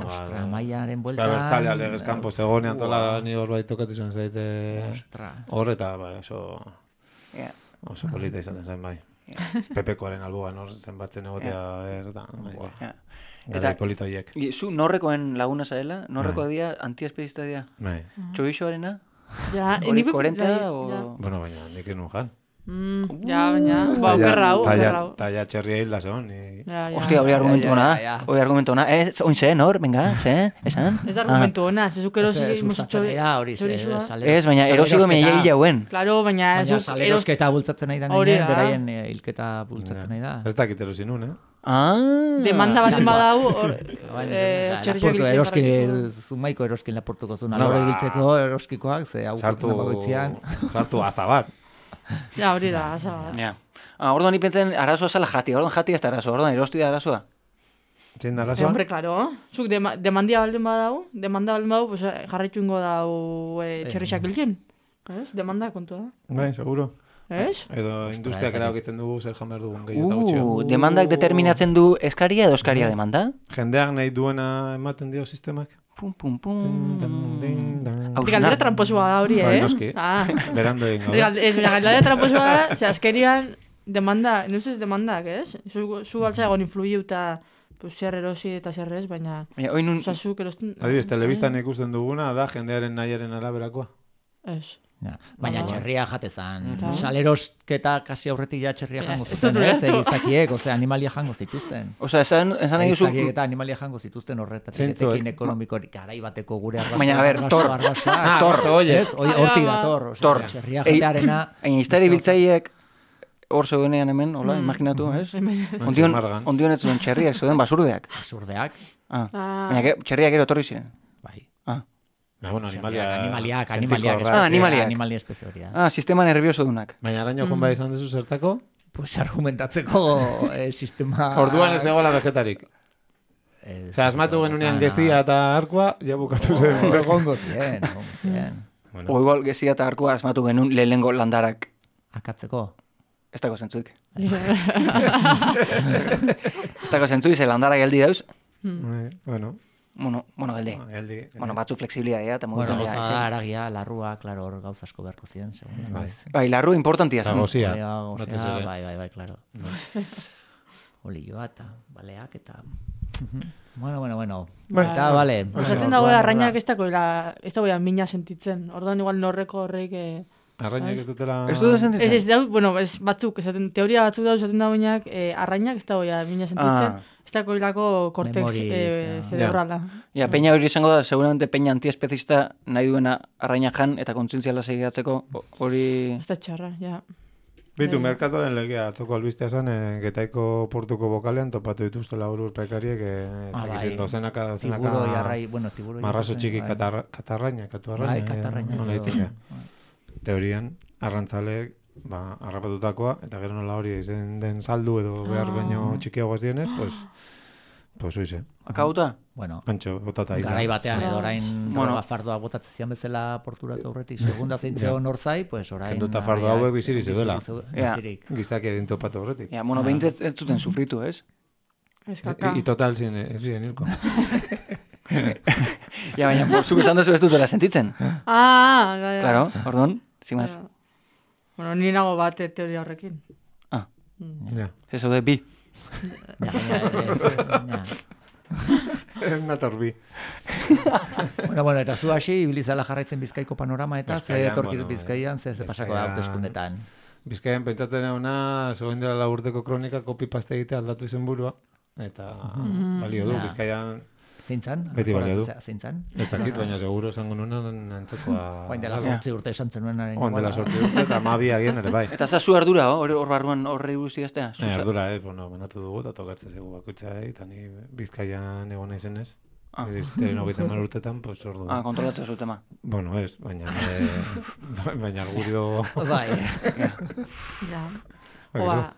ostra, maiaren bueltan. Bertzalea legez kanpo zegonean tola ni hor bai tokatu izan zaite Ostra. hor eta bai, oso Ja. polita izaten zen bai. Pepekoaren alboan hor zenbatzen egotea eta bai. Ja. Eta polita hiek. Zu norrekoen laguna zaela? Norreko dia, antiespezista dia? Bai. Txoixoarena? Ja, Hori nik- 40 ja. o... Bueno, baina nik enun jan. Ja, baina, okerra hau. Talla txerria hilda zon. Ja. Hostia, hori argumentu ona. ja. Hori argumentu ona. Oin zen, hor, venga, ze, esan? Ez da argumentu ona, zezuk erosi Sustatzailea hori, Ez, baina erosi gomenia hil jauen. Claro, baina Baina zuk salerosketa bultzatzen nahi da Hori nien, da. beraien hilketa bultzatzen nahi da. Ez dakit erosi nun, demanda baten badau, Laportu eroski, zumaiko eroskin laportuko zuen, alore ibiltzeko eroskikoak, ze hau bagoitzean. Sartu aza bat. Ja, hori da, asa bat. Ja. Orduan ipentzen arazoa zala jati, orduan jati ez da arazoa, orduan erosti da arazoa. Zein da Sí, arazoa? hombre, claro. Zuk demandia baldin badau, pues jarraitu ingo dau txerrixak hiltzen. Ez? Demanda kontua da. Bai, seguro. Ez? Edo industriak erabakitzen dugu zer jan behar dugun gehiago eta gutxio. Demandak determinatzen du eskaria edo eskaria demanda? Jendeak nahi duena ematen dio sistemak. Pum, pum, pum. Galdera tramposua da hori, Bai, noski. Berando egin gabe. Ez, galdera tramposua da, ze azkerian demanda, nuz ez demandak, ez? Zu altzea egon influiuta pues, zer erosi eta zer ez, baina... Oinun... Zazuk erosten... Adibidez, telebistan ikusten duguna da jendearen nahiaren araberakoa. Ez. Ja. Baina txerria jatezan. Ta. Salerosketa kasi aurretik ja txerria jango Ez zuten, dut ez? ulertu. Egizakiek, osea, animalia jango zituzten. Osea, esan nahi duzu... Egizakiek eta animalia jango zituzten horretatik. Zeintzuek? Etekin ekonomikorik garai bateko gure arbasoa. Baina, a ber, tor. Ez, hortik dator. Osea, Tor. txerria jatearena... Baina iztari biltzaiek hor zeudenean hemen, hola, imaginatu, ez? Ondion ez zuen txerriak, zeuden basurdeak. Absurdeak. Baina txerriak ero torri ziren. Bai. Bueno, Animaliak espezie hori da. Sistema nervioso dunak. Baina araño joan bai izan dezu zertako? Pues argumentatzeko sistema... Orduan ez egola vegetarik. Osea, asmatu genunean gezia eta arkua, ja bukatu zen. Egongo zien. O igual gezia eta arkua asmatu genuen lehenengo landarak. Akatzeko. Ez dago zentzuik. Ez dago zentzuik, ze landarak geldi dauz. Bueno, geldi. Bueno, batzu flexibilidadea eta Bueno, mugitzen gauza dira. da, aragia, larrua, klaro, hor gauza asko beharko ziren, segun. Bai, larru importantia eta zen. gozia. Bai, klaro. Olioa eta baleak eta... Bueno. Eta, bale. Osaten dago arrainak ez dagoela mina sentitzen. Orduan igual norreko horreik... Arrainak ez dutela... Ez dut sentitzen? Ez dau, bueno, ez batzuk, teoria batzuk dago esaten dagoenak, arrainak ez dagoela mina sentitzen. Ez dagoelako kortex cerebrala. Ja, peña hori izango da, seguramente peña antiespezista nahi duena arraina jan eta kontzientziala segiatzeko hori... Ez da txarra, ja. Bitu, merkatoren legea, atzoko albistea zen, Getaiko portuko bokalean topatu dituztela urur prekariek, ez dakizien dozenaka, Tiburo jarrai, marrazo txiki katarraina, nola ditzen da. Teorian, arrantzaleek, harrapatutakoa, eta gero nola hori izen den saldu edo behar baino txikiagoaz dienez, pues oize. Akauta? Bueno, Antxo, botata ira. garai batean edo orain fardoa botatzen zian bezala porturatu aurretik, segunda zeintzeo norzai, pues orain... Kenduta fardo hauek bizirik zeudela. Bizirik. Giztak erin topatu horretik. Ja, bueno, behintzat ez zuten sufritu, ez? Ez kaka. I total ziren hilko. Ja, baina, zuk esan duzu ez dutela sentitzen. Ja. Claro, orduan, zimaz. Bueno, ni nago bat teoria horrekin. Ja. Ez zaude bi. Ez nator bi. Bueno, eta zu hasi, ibilizala jarraitzen Bizkaiko panorama eta ze Bizkaian, etorkit bueno, Bizkaian, ze pasako da Bizkaian- hauteskundetan. Bizkaian pentsatzen eguna, zegoen dela 4 urteko kronika, copy-paste egitea aldatu izen burua, eta balio du, Ja. Bizkaian Zeintzan? Beti balio du. Zeintzan? ez dakit, baina seguro esango nuenan antzekoa. Oain dela 8 urte esan zenuenaren. Oain dela 8 urte, eta 12 agian ere bai. Eta zazu ardura, hor barruan horrei guzti gaztea? Ardura, bueno, banatu dugu, eta tokatzen zego bakoitzai, eta ni Bizkaian egon naizenez. Iristen 30 urtetan, pues ordu. Kontrolatzen zu tema. Bueno, ez, baina argurio... Bai. Ja. Bai, Oa,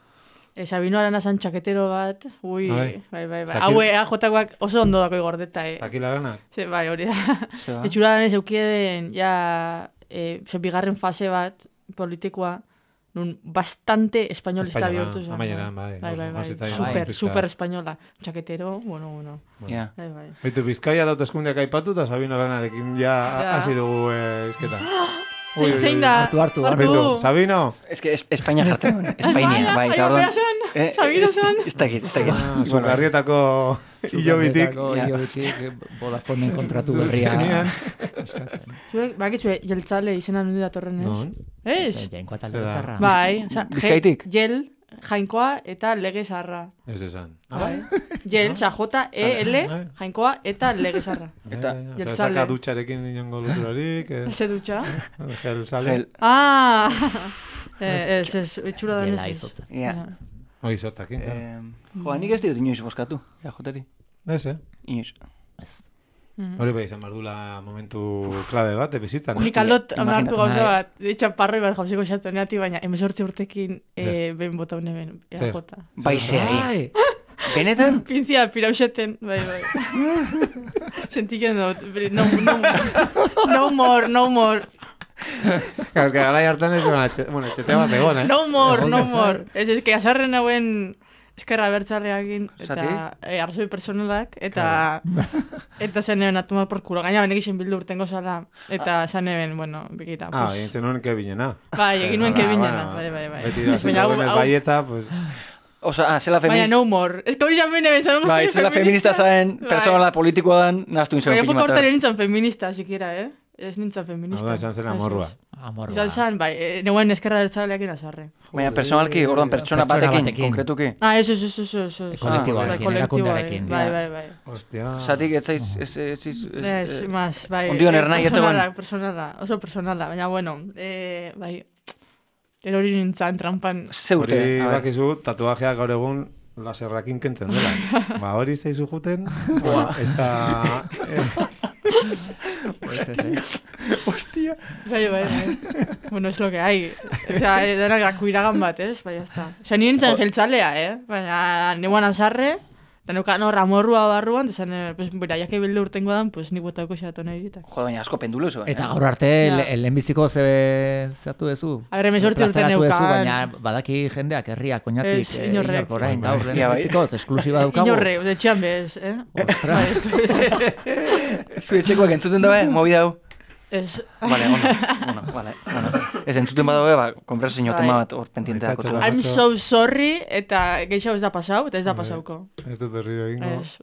Sabino Aranazan txaketero bat, ui, Bai. bai. Zaki- Hau EAJkoak oso ondo dako gordeta, Zakilaranak? Bai, hori da. Ze ba? Etxura danez eukieden, ja, bigarren fase bat politikoa, nun bastante espainolista bihurtu zen. Amaieran, bai. Super espainola. Txaketero, bueno. Ja. Bai. Baitu, Bizkaia daut eskundeak aipatu, eta Sabino Aranarekin ja hasi dugu izketa. Zein da? Hartu. Baitu, Sabino! Ez que Espainia jartzen duen. Espainia, bai. eta orduan- Sabino son. Ez dakit. Zugarrietako hilobitik. Ilobitik, Vodafoneen kontratu berria. Zuek, bakizue, jeltzale izena nundi datorren ez? Non? Ez? Jainkoa talde zarra. Bai, oza, Bizkaitik? Jel, jainkoa eta lege zarra. Ez esan. Bai. Jel, oza, J-E-L, jainkoa eta lege zarra. Eta jeltzale. Ez dutxarekin inongo loturarik. Eze dutxa? Gel sale. Ah! Ez, itxura da Gela ez. izotza. Ja. Hoi zotakin. Joa, nik ez diot inoiz boskatu. Ja, joteri. Ez, Inoiz. Hori bai, izan bardula momentu klabe bat, bizitzan. Nik aldot Imagina- amartu gauza bat, ditxan parroi bat jauziko xatu neati, baina 18 urtekin ben bota une ben, Zer? jota. Bai, zeari. Benetan? Pinzia pirauseten, bai. Sentiken dut, no more. Ez que gara hartan ez, bueno, etxetea bat egon, No more. Ez que azarren hauen eskerra bertzaleakin, eta Zati? arrazoi personalak, eta zen eben atoma por culo. Gaina benek isen bildu urtengo zala, eta zen eben, bueno, bikira. Egin zen nuen kebinena. Bai, egin nuen kebinena, bai. Beti da, zindagoen baietza, pues... Osa, zela Baina feminista... no more. Ez que hori zan bine bezan, Bai, zela feminista zaen, persona politikoa dan, naztu inzuen Baina pili poco matar. hortaren nintzen feminista, sikiera, Ez nintzen feminista. Hau da, esan zen amorrua. Izan zen, bai, neuen eskerra bertzaleakin azarre. Baina personalki, orduan, pertsona batekin, batekin. konkretuki. Ez. Kolektiboarekin, erakundearekin. Bai. Hostia. Zatik, ez zaiz... Ez, mas, bai. Ondion ernai ez zegoen. Personala, oso personala, baina bueno, bai, erori nintzen trampan. Ze urte. Hori a ber. bakizu, tatuajeak gaur egun laserrakin kentzen dela. Ba, hori zeizu juten, ez da... Hostia. Bai. Bueno, es lo que hay. O sea, denak iragan bat, ez? Bai, hasta. O sea, ni nintzen jeltzalea, baina neuan azarre, eta neukan hor amorrua barruan, eta zen, pues, bera, jake bildu urtengo dan, pues, nik botako xatu nahi ditak. Joder, baina asko pendulu zuen. Eta gaur arte, lehenbiziko zeatu dezu? A ber, 18 urte Plazaratu neukan. dezu, baina badaki jendeak, herriak, oinatik, Ez, inorrek. orain, gaur Ia, bai. lehenbizikoz, esklusiba daukagu. Inorre, etxean bez, Ostras. Zu etxekoak entzuten dabe, mobi dau. Ez. Vale, bueno. Ez entzuten badaue, ba, konversazio tema bat hor pendienteak. Aitatxo I'm so sorry, eta gehiago ez da pasau, eta ez da pasauko. Ez dut berriro egingo. Ez.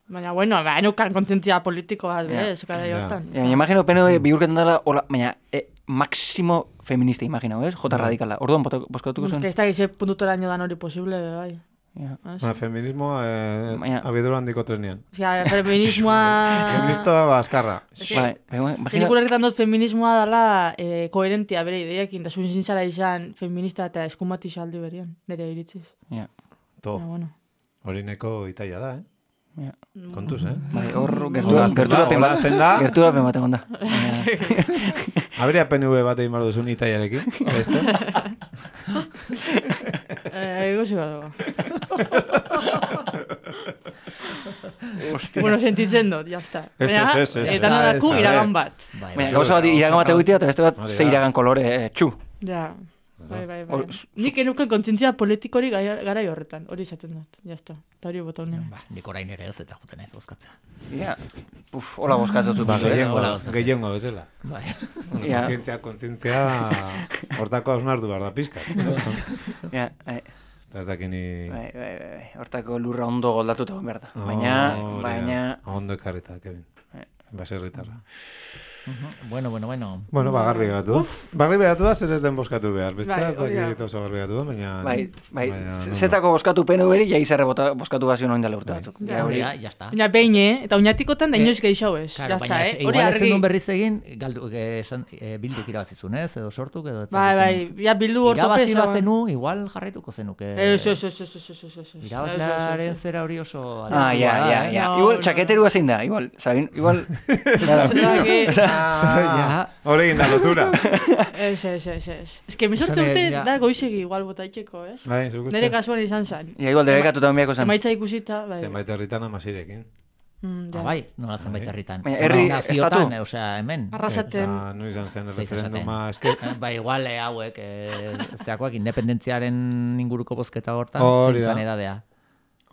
Baina, bueno, neukan kontzientzia politiko bat, bez, kada hortan. Ja, baina imagino PNV bihurketan dela, hola, baina, máximo feminista, imagino, ez? Jota radikala. Orduan, boskatuko zuen? Ez da gize puntutoraino dan hori posible, bai. Ja. Feminismoa abiadura handiko trenean. Osea, feminismoa... Feminista baskarra. Bai, imagina... Pelikularketan dut feminismoa dela koherentia bere ideekin, da zuen zintzara izan feminista eta eskumati saldi berian, nire iritziz. Ja. To, Bueno. hori neko itaia da, Ja. Kontuz, Bai, hor Hola, azten da. gerturapen bat egon da. Habría PNV bat egin bardo zuen itaiarekin. Beste? Ego ziga dugu. Bueno, sentitzen dut, jazta. Ez. Eta nadaku iragan bat. Baina, gauza bat iragan bat egitea, eta beste bat Hori ze da. iragan kolore txu. Ja. Bai. Hor- Nik enuken kontzientzia politikori garai horretan, hori izaten dut, jazta. Eta hori bota honean. Ba, nik orain ere ez eta juten ez bozkatzea. Ja. Hola boskatzen zut. Ba, hola, gehiengo bezala. Bai. Ja. Kontzientzia, hortako hausnartu behar da pizka. Ja, Eta ez dakini... Bai. Hortako lurra ondo goldatuta behar da. Baina... Ondo ekarrita, Kevin. Baserritarra. Bueno. Bueno, garbi geratu. Garbi geratu da, zer ez den boskatu behar. Beste Bai, ez dakit oso garbi geratu da, baina... Bai. Zetako boskatu PNV-ri, ja izarre boskatu bazio noin dela urte batzuk. Ja está. Baina behin, eta oinatikotan da inoiz gehiago ez. Claro, Jazta, baina hori igual ezen argi. duen berriz egin, bilduk irabazizun, ez? Edo sortuk, edo... Bai, ja bildu Irabazi ortopesa. bazenu, igual jarraituko zenuke. Ez. Irabazlearen zera hori oso... Ja. Igual, txaketerua zein da, igual. Igual... Hore egin da lotura. Ez. Ez que misorte urte da goizegi igual botaitxeko, ez? Bai, zuk uste. Nere kasuan izan zen. Ja, igual debekatuta onbiako zen. Emaitza ikusita, bai. Zenbait herritan amasirekin. Bai, nola zenbait herritan. Baina herri, Naziotan, estatu. osea, hemen. Arrasaten. Eta nu izan zen Zeiz referenduma esaten. eske... Bai, igual hauek, zeakoak independentziaren inguruko bozketa hortan, Hori da. zeintzan edadea.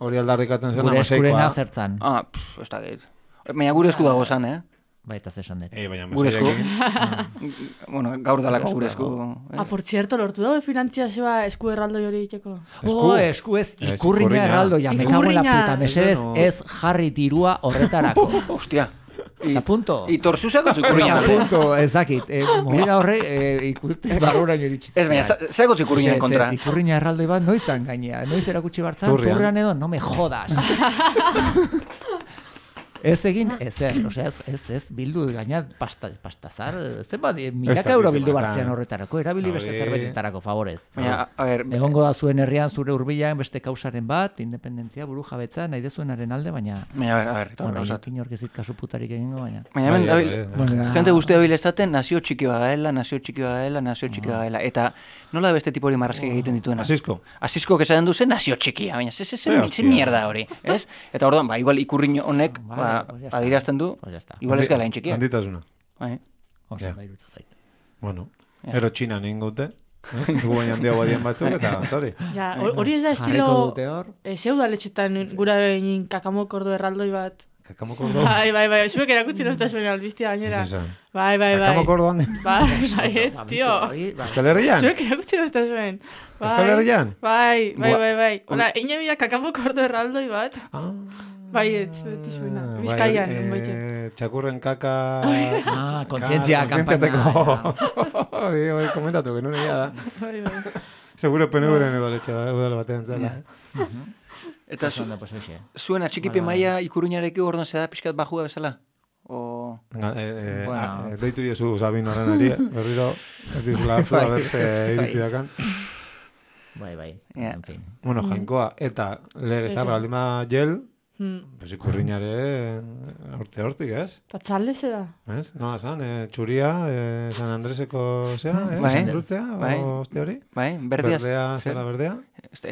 Hori aldarrikatzen zen Gure eskurena amaseikoa. zertzan. Ez da gehit. Baina gure esku dago zan, Bai, eta zesan dut. Baina Gure esku. amaseikoekin... Bueno, gaur dalako gure esku. Por cierto, lortu dago finantziazioa esku erraldoi hori itxeko. Esku ez, ikurriña erraldoia, me cago en la puta, mesedez ez jarri dirua horretarako. Hostia. Eta punto. Y torzuzako zikurriña. Eta punto, ez dakit. Movida horre, ikurte barruraino iritsi. Ez, baina, zego zikurriñaren kontra. Ez, ikurriña erraldoi bat noizan gainea. Noiz erakutsi bartzan, turrean edo, no me jodas. Ez egin, ezer, osea, ez bildu gaina pastazar, zenbat, milaka euro bildu bartzean horretarako, erabili beste zerbetetarako, favorez. Baina, a ver... Egongo da zuen herrian zure hurbilan beste kausaren bat, independentzia, buru jabetza, nahi dezuenaren alde, baina... Baina, a ver, eta Bueno, gauzat. inork ezit kasu putarik egingo, baina... Baina hemen, jente guzti dabil ezaten, nazio txiki bagaela, eta nola da beste tipo hori marrazki egiten dituena? Asisko esaten du zen nazio txikia, baina ze mierda hori, ez? Eta orduan, igual ikurriño honek, adirazten du, igual ez gala intxikia. Handitasuna. Oso, bairutu zait. Bueno, ero Txinan egin gaute, dugu baina handiago adien batzuk, eta hori. Ja, hori ez da estilo... Zeu da letxetan gura behin kakamokordo erraldoi bat. Kakamokordo? Bai, zuek erakutzi nozta zuen albiztia gainera. Bai. Kakamokordo handi? Bai, ez, tio. Euskal Herrian? Zuek erakutzi nozta zuen. Euskal Herrian? Bai. Hola, inebia kakamokordo erraldoi bat. Bai, beti zuena. Bizkaian, txakurren kaka... kontzientzia kampaina. Hori, komentatu, genuen egia da. Bai. Seguro PNV-ren edo letxe udala batean zela. Eta zuen atxikipe maia ikurriñarekin orduan zeda pixkat bajua bezala? Deitu diozu Sabin horren ari, berriro, ez dizula zua berse iritsi dakan. Bai, en fin. Bueno, jainkoa, eta legezarra aldima gel, pues ikurriñare hortik, ez? Eta txalde zera? Ez? Nola zan, txuria, San Andreseko zea, Brutzea, oste hori? Bai, berdea. Berdea, zela berdea.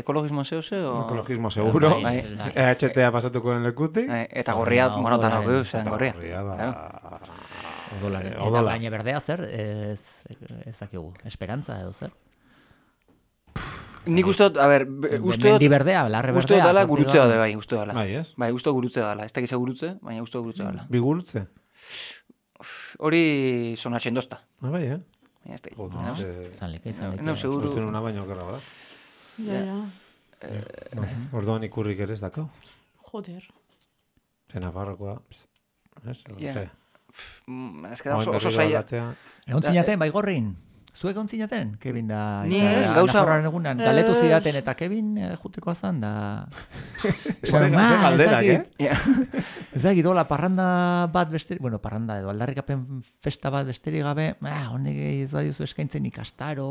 Ekologismo zeu zeu? Ekologismo seguro. EHTA pasatuko den lekutik. Eta gorria, monotan hau zen gorria. Gorria, Odolare. Eta baina berdea zer, ez dakigu, esperantza edo zer? Nik uste dut, a ber, uste dut... Mendi berdea, larre berdea. Uste dut dala gurutze dala, bai, uste dala. Bai, ez? Bai, uste gurutze dala. Ez dakiza gurutze, baina uste gurutze dala. Bi gurutze? Hori sonatzen dozta. Bai, Ez da. Zaleka. No, seguro. Uste nuna baino okerra bada. Ja. Orduan ikurrik ere ez dakau. Joder. Zena farrokoa. Ez que da oso zaila. Egon zinaten, bai gorrin? Zuek egon zinaten? Kevin da... Ni gauza... egunan, galetu zidaten eta Kevin juteko azan da... Ez da, gidola, parranda bat besterik... Bueno, parranda edo aldarrikapen festa bat besterik gabe... Honek ez badiuzu eskaintzen ikastaro...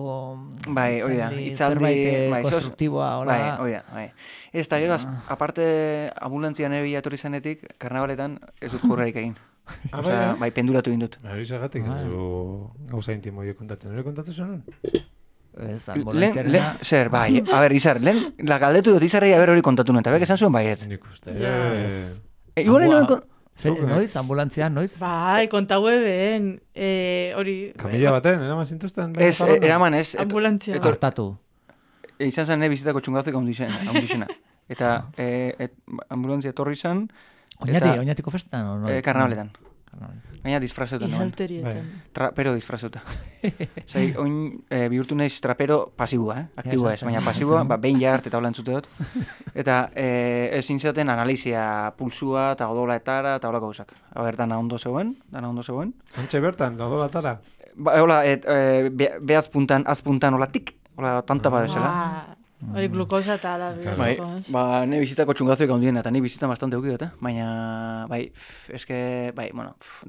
Bai, oida, itzaldi... konstruktiboa, hola... Bai. Ez da, gero, aparte ambulantzian ere bilatorri zanetik, karnabaletan ez dut kurrarik egin. Bai, penduratu egin dut. Hori zagatik, gauza intimo hori kontatzen. Hori kontatu zenun? Ez, ambulantziarena... Zer, bai, a ber, Izar, lehen, la galdetu dut Izarrei a ber hori kontatu nuen, eta bek esan zuen baietz. Nik uste. Igual noiz, ambulantzian, noiz? Bai, kontaue behen, hori... Kamila baten, eraman zintuzten? Ez, eraman ez. Ambulantzia. Hartatu. Izan zen bizitako txungazek handixena. Eta ambulantzia etorri zen... Oñatiko festan? Karnabaletan. Gaina disfrazeuta noen. Ihalterietan. Trapero disfrazeuta. Zai, oin bihurtu naiz trapero pasibua, aktibua ez, baina pasibua, behin jart eta hola entzute dut. Eta ezin zaten analizia pulsua eta odolatara eta hola gauzak. Dana ondo zegoen. Antxe bertan, odolatara? Hola, behaz puntan, azpuntan, hola tik, hola tanta badezela. Hori glukosa eta ala. Ne bizitzako txungazoik handiena, eta ni bizitza bastante eukidot, baina, eske,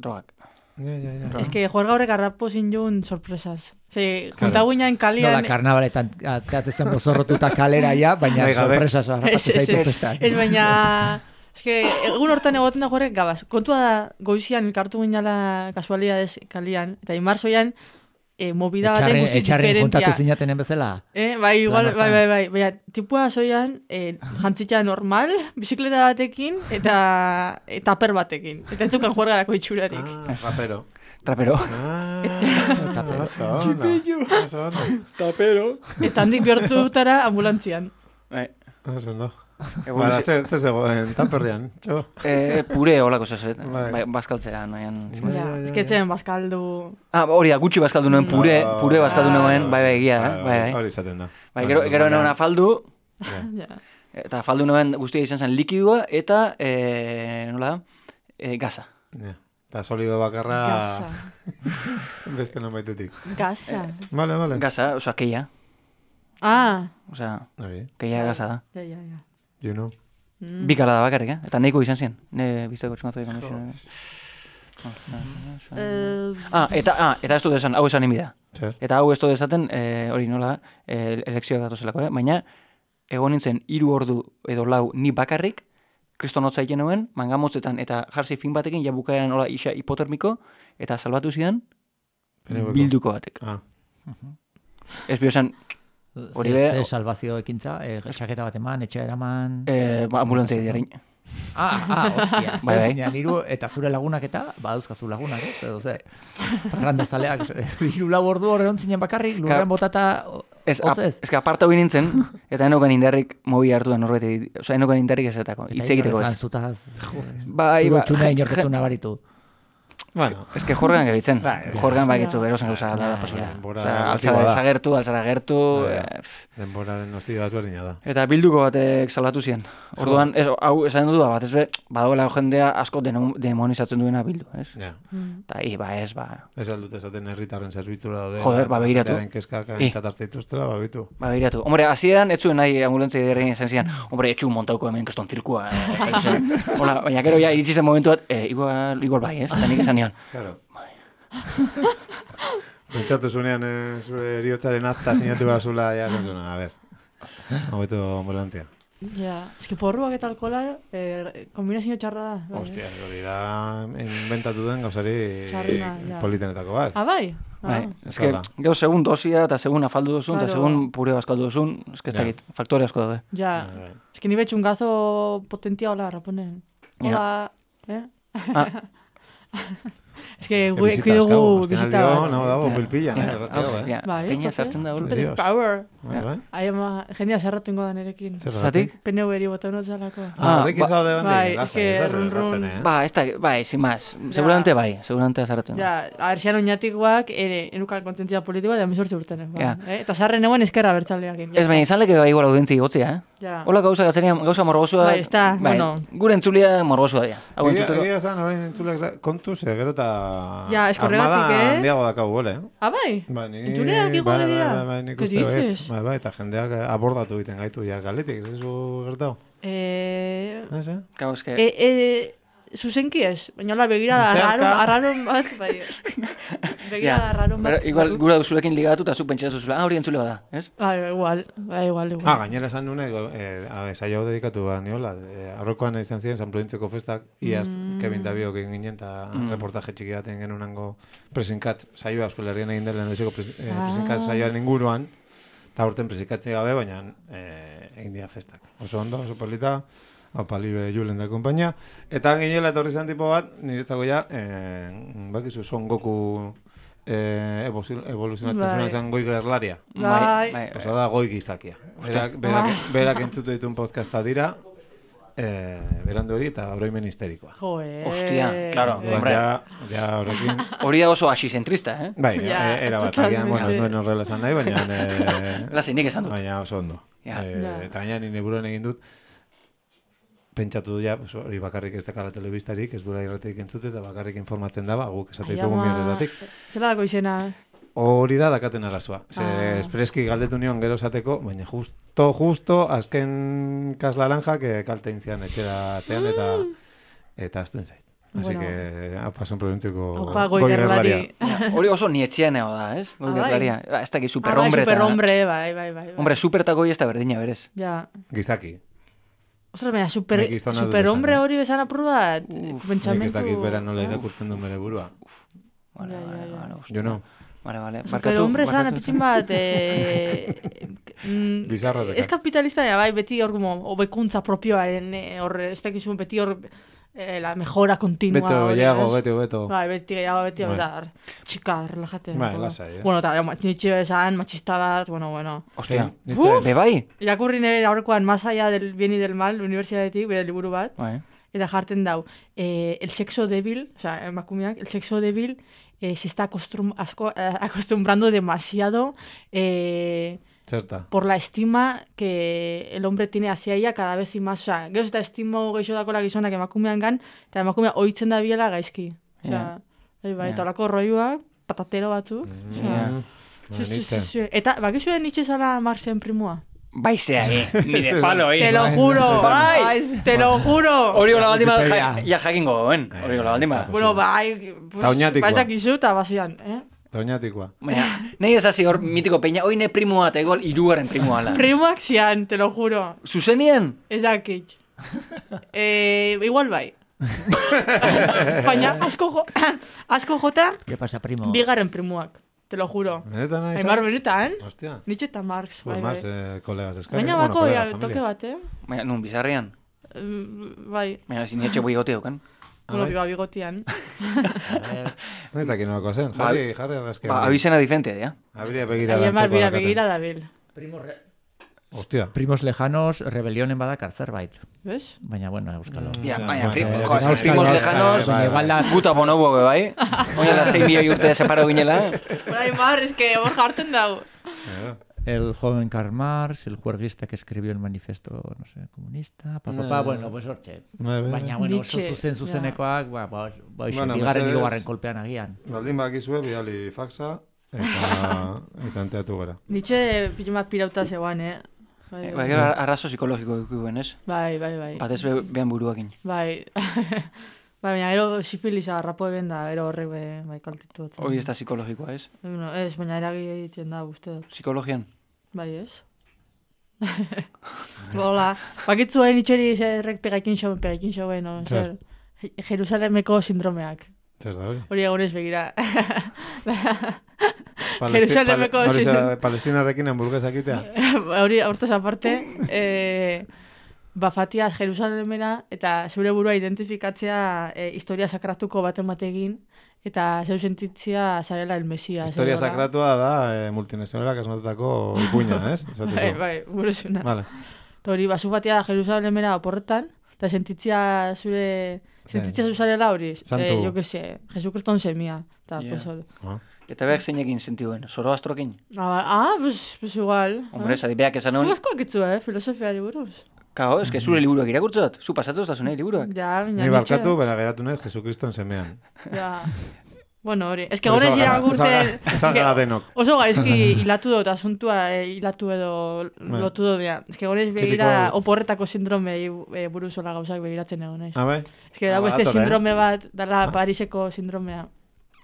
drogak. Ja. Es que juerga horrek arrapo zin joan sorpresas. Juntaguina en kalian... Nola, karnabaletan teatzen bozorrotuta kalera ja, baina sorpresas harrapatu zaitu festan. Ez baina... Es que egun hortan egoten da juerrek gabaz. Kontua da goizian elkartu ginala kasualidades kalian, eta imarzoian movida baten guztiz diferentia. Etxarren kontatu zinatenen bezala? Bai, igual, bai. Baina, tipua zoian, jantzitza normal, bizikleta batekin, eta taper batekin. Eta ez dukan juergarako itxurarik. Rapero. Trapero. Tapero. Eta handik bihurtu dutara ambulantzian. Ondo. Bara, zer zegoen taperrian, txo? Pure holako zezet, bazkaltzea noian. Ez que zen bazkaldu... Hori da, gutxi bazkaldu noen, pure bazkaldu noen, bai, egia, bai. Hori izaten da. Gero noen afaldu, eta afaldu noen guztia izan zen likidua, eta, nola, gaza. Eta solido bakarra... Gaza. Beste non baitetik. Gaza. Vale. Gaza, oza, keia. Oza, keia gaza da. Ja. You know. Bikala da bakarrik, eta nahiko izan ziren. Ne bizteko txumazoik Eta ez du desan, hau esan imida. Eta hau ez du desaten, hori nola, elekzioak datozelako, baina egon nintzen 3 ordu edo 4 ni bakarrik, kristonotza egin nuen, mangamotzetan eta jarzi fin batekin, ja bukaeran hola isa hipotermiko, eta salbatu zidan bilduko batek. Ez biosan... Zer salvazio ekintza, txaketa bat eman, etxe eraman... Ambulantzia diarein. Hostia, zentzinean eta zure lagunak eta, badauzkazu lagunak, ez, edo ze, parrandazaleak, 3-4 ordu horren zinen bakarrik, lurrean botata, hotzez? Ez que aparta hori nintzen, eta enokan indarrik mobi hartu da norbeti, oza, enokan indarrik ezetako, hitz egiteko ez. Zutaz, zure txuna inorketu nabaritu. Bueno, es que jorgan gebitzen. Jorgan bakitzu berosan gauza da pasura. Alzara desagertu. Denboraren nozioa ezberdina da. Eta bilduko batek salatu ziren. Orduan, hau esan dut bat, ez badagoela jendea asko demonizatzen duena bildu, ez? Eta ez. Ez aldut esaten herritarren zerbitzura daude. Joder, begiratu. Herritarren kezkak aintzat dituztela, babitu. Begiratu. Hombre, hasieran ez zuen nahi ambulantzia diarrein esan zian, hombre, etxu montauko hemen keston zirkua. Hola, baina gero ja iritsi zen momentu bat, igual bai, ez? Eta nik esan nion. Claro. Pentsatu zunean zure eriotzaren akta sinatu bazula, ja, a ver, hobeto ambulantzia. Ja, eski porruak eta alkohola kombinazio txarra da. Hostia, hori da inventatu den gauzari politenetako bat. Bai? Eski, gero segun dosia eta segun afaldu duzun, eta segun pure bazkaldu duzun, eski ez dakit, faktore asko daude. Ja, eski ni betxun gazo potentia hola, raponen. Hola, Es que guiki dugu bizita bat. Dago pilpillan, Peña sartzen da golpe. Power. Jendea zerratu ingo da nerekin. Zatik? PNV eri bota notzalako. Horrek ez daude bai, es que run. Bai, sin más. Seguramente zerratu ingo. Ja, abertxean oinatik guak, enukan kontentzia politikoa da 18 urtenek. Eta zarren egon eskerra bertzaleakin. Ez baina izan leke igual audientzi gotzea, Hola gauza morbosua. Bai, ez da, bueno. Gure entzulia morbosua dira. Egia zan, horrein entzuleak kontuz, gero eta... Ja, eskorregatik, Armada handiago dakau gole, bai? Entzuleak igual dira? Nik uste hoetz. Bai, eta jendeak abordatu egiten gaitu, ja, galetik, ez zu gertau? Zuzenki ez, baina hola begira arraron bat, bai. Begira arraron bat. Igual gura duzulekin ligatu eta zu pentsatu zuzula, hori entzule bada, ez? Igual. Gainera esan nune, saio dedikatu behar niola. Aurrekoan izan ziren San Prudentziko festak, iaz Kevin Dabiok egin ginen, eta reportaje txiki baten genunango presinkat saioa, Euskal Herrian egin dela endeziko presinkat saioaren inguruan, eta aurten presinkatzi gabe, baina egin dira festak. Oso ondo, oso polita, Palibe Julen da kompainia. Eta ginela etorri zen tipo bat, niretzako ja, bakizu, Son Goku evoluzionatzen zuen zen Goi Gerlaria. Bai. Osa da Goi Gizakia. Berak entzutu ditun podcasta dira, berandu hori eta oroimen histerikoa. Hostia, claro, hombre. Ja horrekin... Hori da oso asizentrista, eh? Bai, era bat, agian, bueno, nuen horrela esan nahi, baina... Lasi, nik esan dut. Baina oso ondo. Eta gaina nire buruan egin dut, pentsatu du ja, hori bakarrik ez dakala telebistarik, ez dura irratik entzute, eta bakarrik informatzen daba, guk esate ditugu mierdetatik. Zela dako izena? Hori da dakaten arazoa. Espreski galdetu nion gero esateko, baina justo azken kaslaranja kalte intzian etxera atzean eta aztuen zait. Así que pasan provintziko goigerlaria. Hori oso ni etxean ego da, ez? Goigerlaria. Ez da ki superhombre. Superhombre, bai. Hombre, supertako hori ez da berdina, berez. Ja. Giztaki. Ostras, baina superhombre hori bezan apur bat. Nik ez dakit bera nola irakurtzen duen bere burua. Jo no. Vale. Superhombre esan apitxin bat... Bizarra zeka. Ez kapitalista, bai, beti hor hobekuntza propioaren, ez dakizu, beti hor la mejora continua. Beto. Bai, beti gehiago, txika, relajate. Bai, lasai, Bueno, eta nitxe esan, machista bat, bueno. Hostia, bebai? Irakurri nire aurrekoan, más allá del bien y del mal, universidadetik, bere liburu bat, eta jarten dau, el sexo débil, o sea, emakumeak, el sexo débil se está acostumbrando demasiado por la estima que el hombre tiene hacia ella cada vez y más. O sea, gero eta estimo geixo dakola gizonak emakumean gan, eta emakumea ohitzen da biela gaizki. O sea, eta olako roiuak, patatero batzu. Eta, bakizuen nitxe zala Marxen primua? Baizea, ni de palo, Te lo juro, bai, te lo juro. Hori hola baldin bat, ja jakingo, hori hola baldin bat. Bueno, bai, baizak izu eta bazian, Taunatikoa. Baina, nahi ezazi hor mitiko peina, hoi ne primua eta egol irugarren primua ala. Primuak zian, te lo juro. Zuzenien? Ez dakit. Igual bai. Baina, asko jota, bigarren primuak. Te lo juro. Benetan nahi Aimar benetan. Hostia. Nitxe eta Marx. Marx, kolegas eskarri. Baina bako, toke bat, Baina, nun, bizarrian? Bai. Baina, zin etxe bigote duken. Bueno, bigotian. No ez dakit nolako zen. Jarri arraskean. Abizena diferentea, ja. Abiria begira da. Aimar, begira dabil. Hostia. Primos lejanos, rebelionen badakar zerbait. ¿Ves? Baina, bueno, euskalo. Baina, primos lejanos, guta bonobo, bai? Oina, 6 milioi urte separo ginela. Bueno, Aimar, es que hor jarten dau. El joven Karl Marx, el juerguista que escribió el manifiesto, no sé, comunista, bueno, pues hortxe. Baina, bueno, oso zuzenekoak, bigarren hirugarren kolpean agian. Baldin bakizue, bidali faxa, eta enteatu gara. Nitxe pilumak pirauta zegoan, Bai, arrazo psikologiko dukuen, ez? Bai. Batez behan buruakin. Bai. Baina, ero sifilisa harrapo eben da, ero horrek bai kaltitu batzen. Hori ez da psikologikoa, ez? Ez, baina eragi egiten da, uste dut. Psikologian? Bai, ez? Hola, bakitzuen itxeri zerrek pegaikin xauen, no? Jerusalemeko sindromeak. Zer da hori? Hori egonez begira. Jerusalemeko Palestinarrekin hamburguesak itea? Hori, hortaz aparte, bafatia Jerusalemera eta zeure burua identifikatzea historia sakratuko baten bategin eta zeu sentitzia zarela el Mesia. Historia sakratua da multinazionalak asmatutako ipuina, ez? Bai, buruzuna. Vale. Hori, basu batia Jerusalemera oporretan, eta sentitzia zuzarela hori. Santu. Jo que se, Jesukriston semia. Eta behar zeinekin sentibuen, Zoroastrokin? Pues igual. Hombre, beak esan hon... Zugazkoak itzu, filosofiari buruz. Kao, ez que zure liburuak irakurtzot, zu pasatu ez da zunei liburuak. Ja, ni barkatu, bera geratu nahi Jesukriston semean. Ja. Bueno, hori, ez que gorez iragurte... Esan gara denok. Oso gaizki hilatu dut, asuntua hilatu edo lotu dut, ez que gorez begira oporretako sindrome buruzola gauzak begiratzen egon, naiz. Bai? Ez que dago este sindrome bat, dala Pariseko sindromea.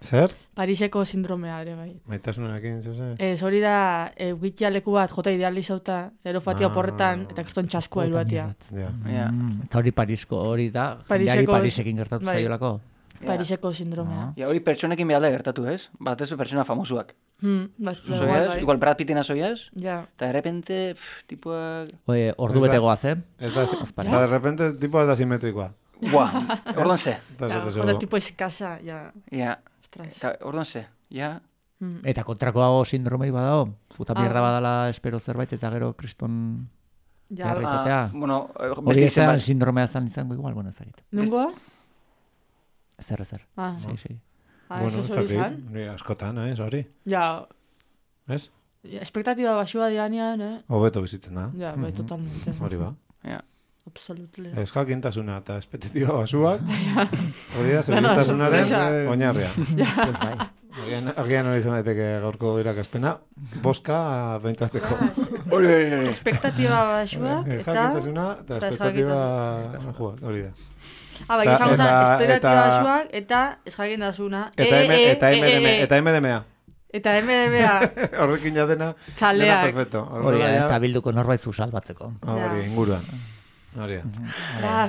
Zer? Pariseko sindromea ere, bai. Maitasunarekin, zuze? Ez, hori da, egitea leku bat jota idealizauta, zero fatia oporretan, eta kriston txaskoa iruatia. Eta hori Parisko, hori da, jendeari Parisekin gertatu zaiolako. Pariseko sindromea. Hori pertsonekin behalda gertatu, ez? Batez pertsona famosuak. Igual Brad Pittina zoiaz, eta de repente, tipuak... Ordu betegoa zen. Eta de repente, tipuak da simetrikoa. Buah, orduan ze. Eta tipo eskasa, ja. Eta orduan ze, ja. Eta kontrakoa sindromei badao, puta mierda badala espero zerbait, eta gero kriston Jarra izatea. Bueno, hori ezan sindromea zan izango igual, bueno, ezagit. Nungoa? Zer. Sí. Bueno, ez dakit, askotan, hori. Ja. Ez? Espektatiba basua dianean, Hobeto bizitzen da. Ja, bai, totalmente. Hori ba. Ja. Absolutely. Ez jakintasuna eta espektatiba basuak, hori da, segurtasunaren oinarria. Agian hori izan daiteke gaurko irakaspena, boska behintzateko. Hori. Espektatiba basuak eta... Jakintasuna eta espektatiba hori da. Bai, izango zen, espektatiba basuak eta ez jakintasuna. Eta MDMA. Eta MDMA. Horrekin jatena. Txaleak. Perfecto. Hori da, eta bilduko norbait zu salbatzeko. Hori, inguruan. Hori da.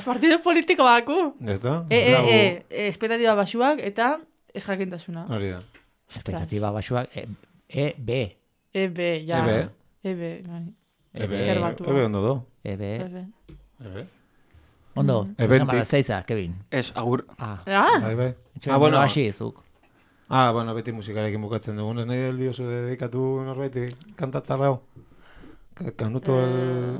Partido politiko baku. Ez da? Espektatiba basuak eta ez jakintasuna. Hori da. Espektatiba basuak, EB, ja. EB, ondo do. EB. Ondo, zuzen zeiza, Kevin. Ez, agur. Bai. Bueno, hasi izuk. Bueno, beti musikarekin bukatzen dugun, ez nahi del diozu dedikatu norbaiti kantatzarrao. Kanuto,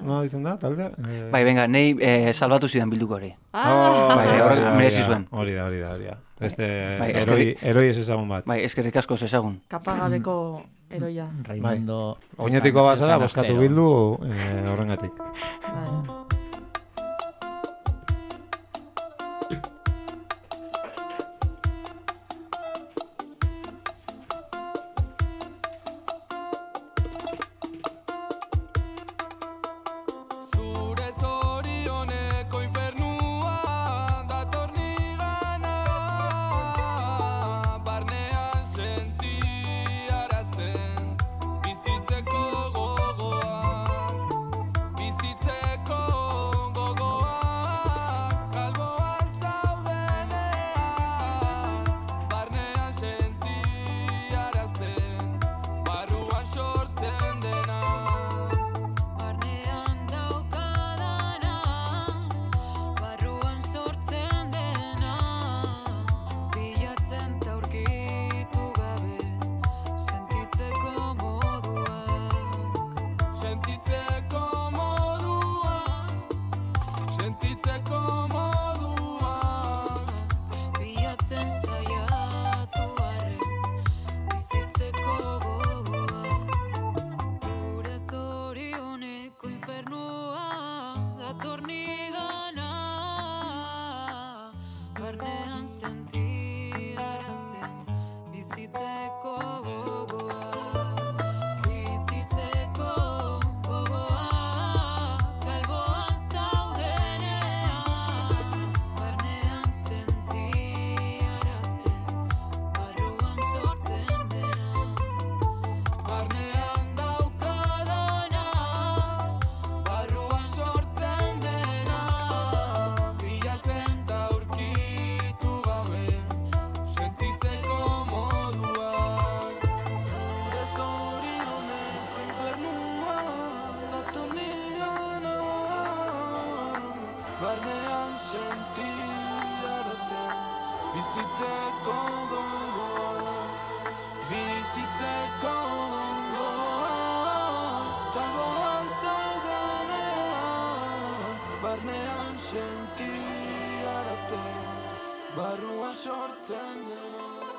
nola ditzen da, taldea? Bai, venga, nahi salbatu zidan bilduko hori. Bai, horrek merezi zuen. Hori da. Beste eroi ez ezagun bat. Bai, eskerrik asko ez ezagun. Kapagabeko eroia. Raimundo... Oinetiko bazara, boskatu bildu horrengatik. Barruan sortzen dena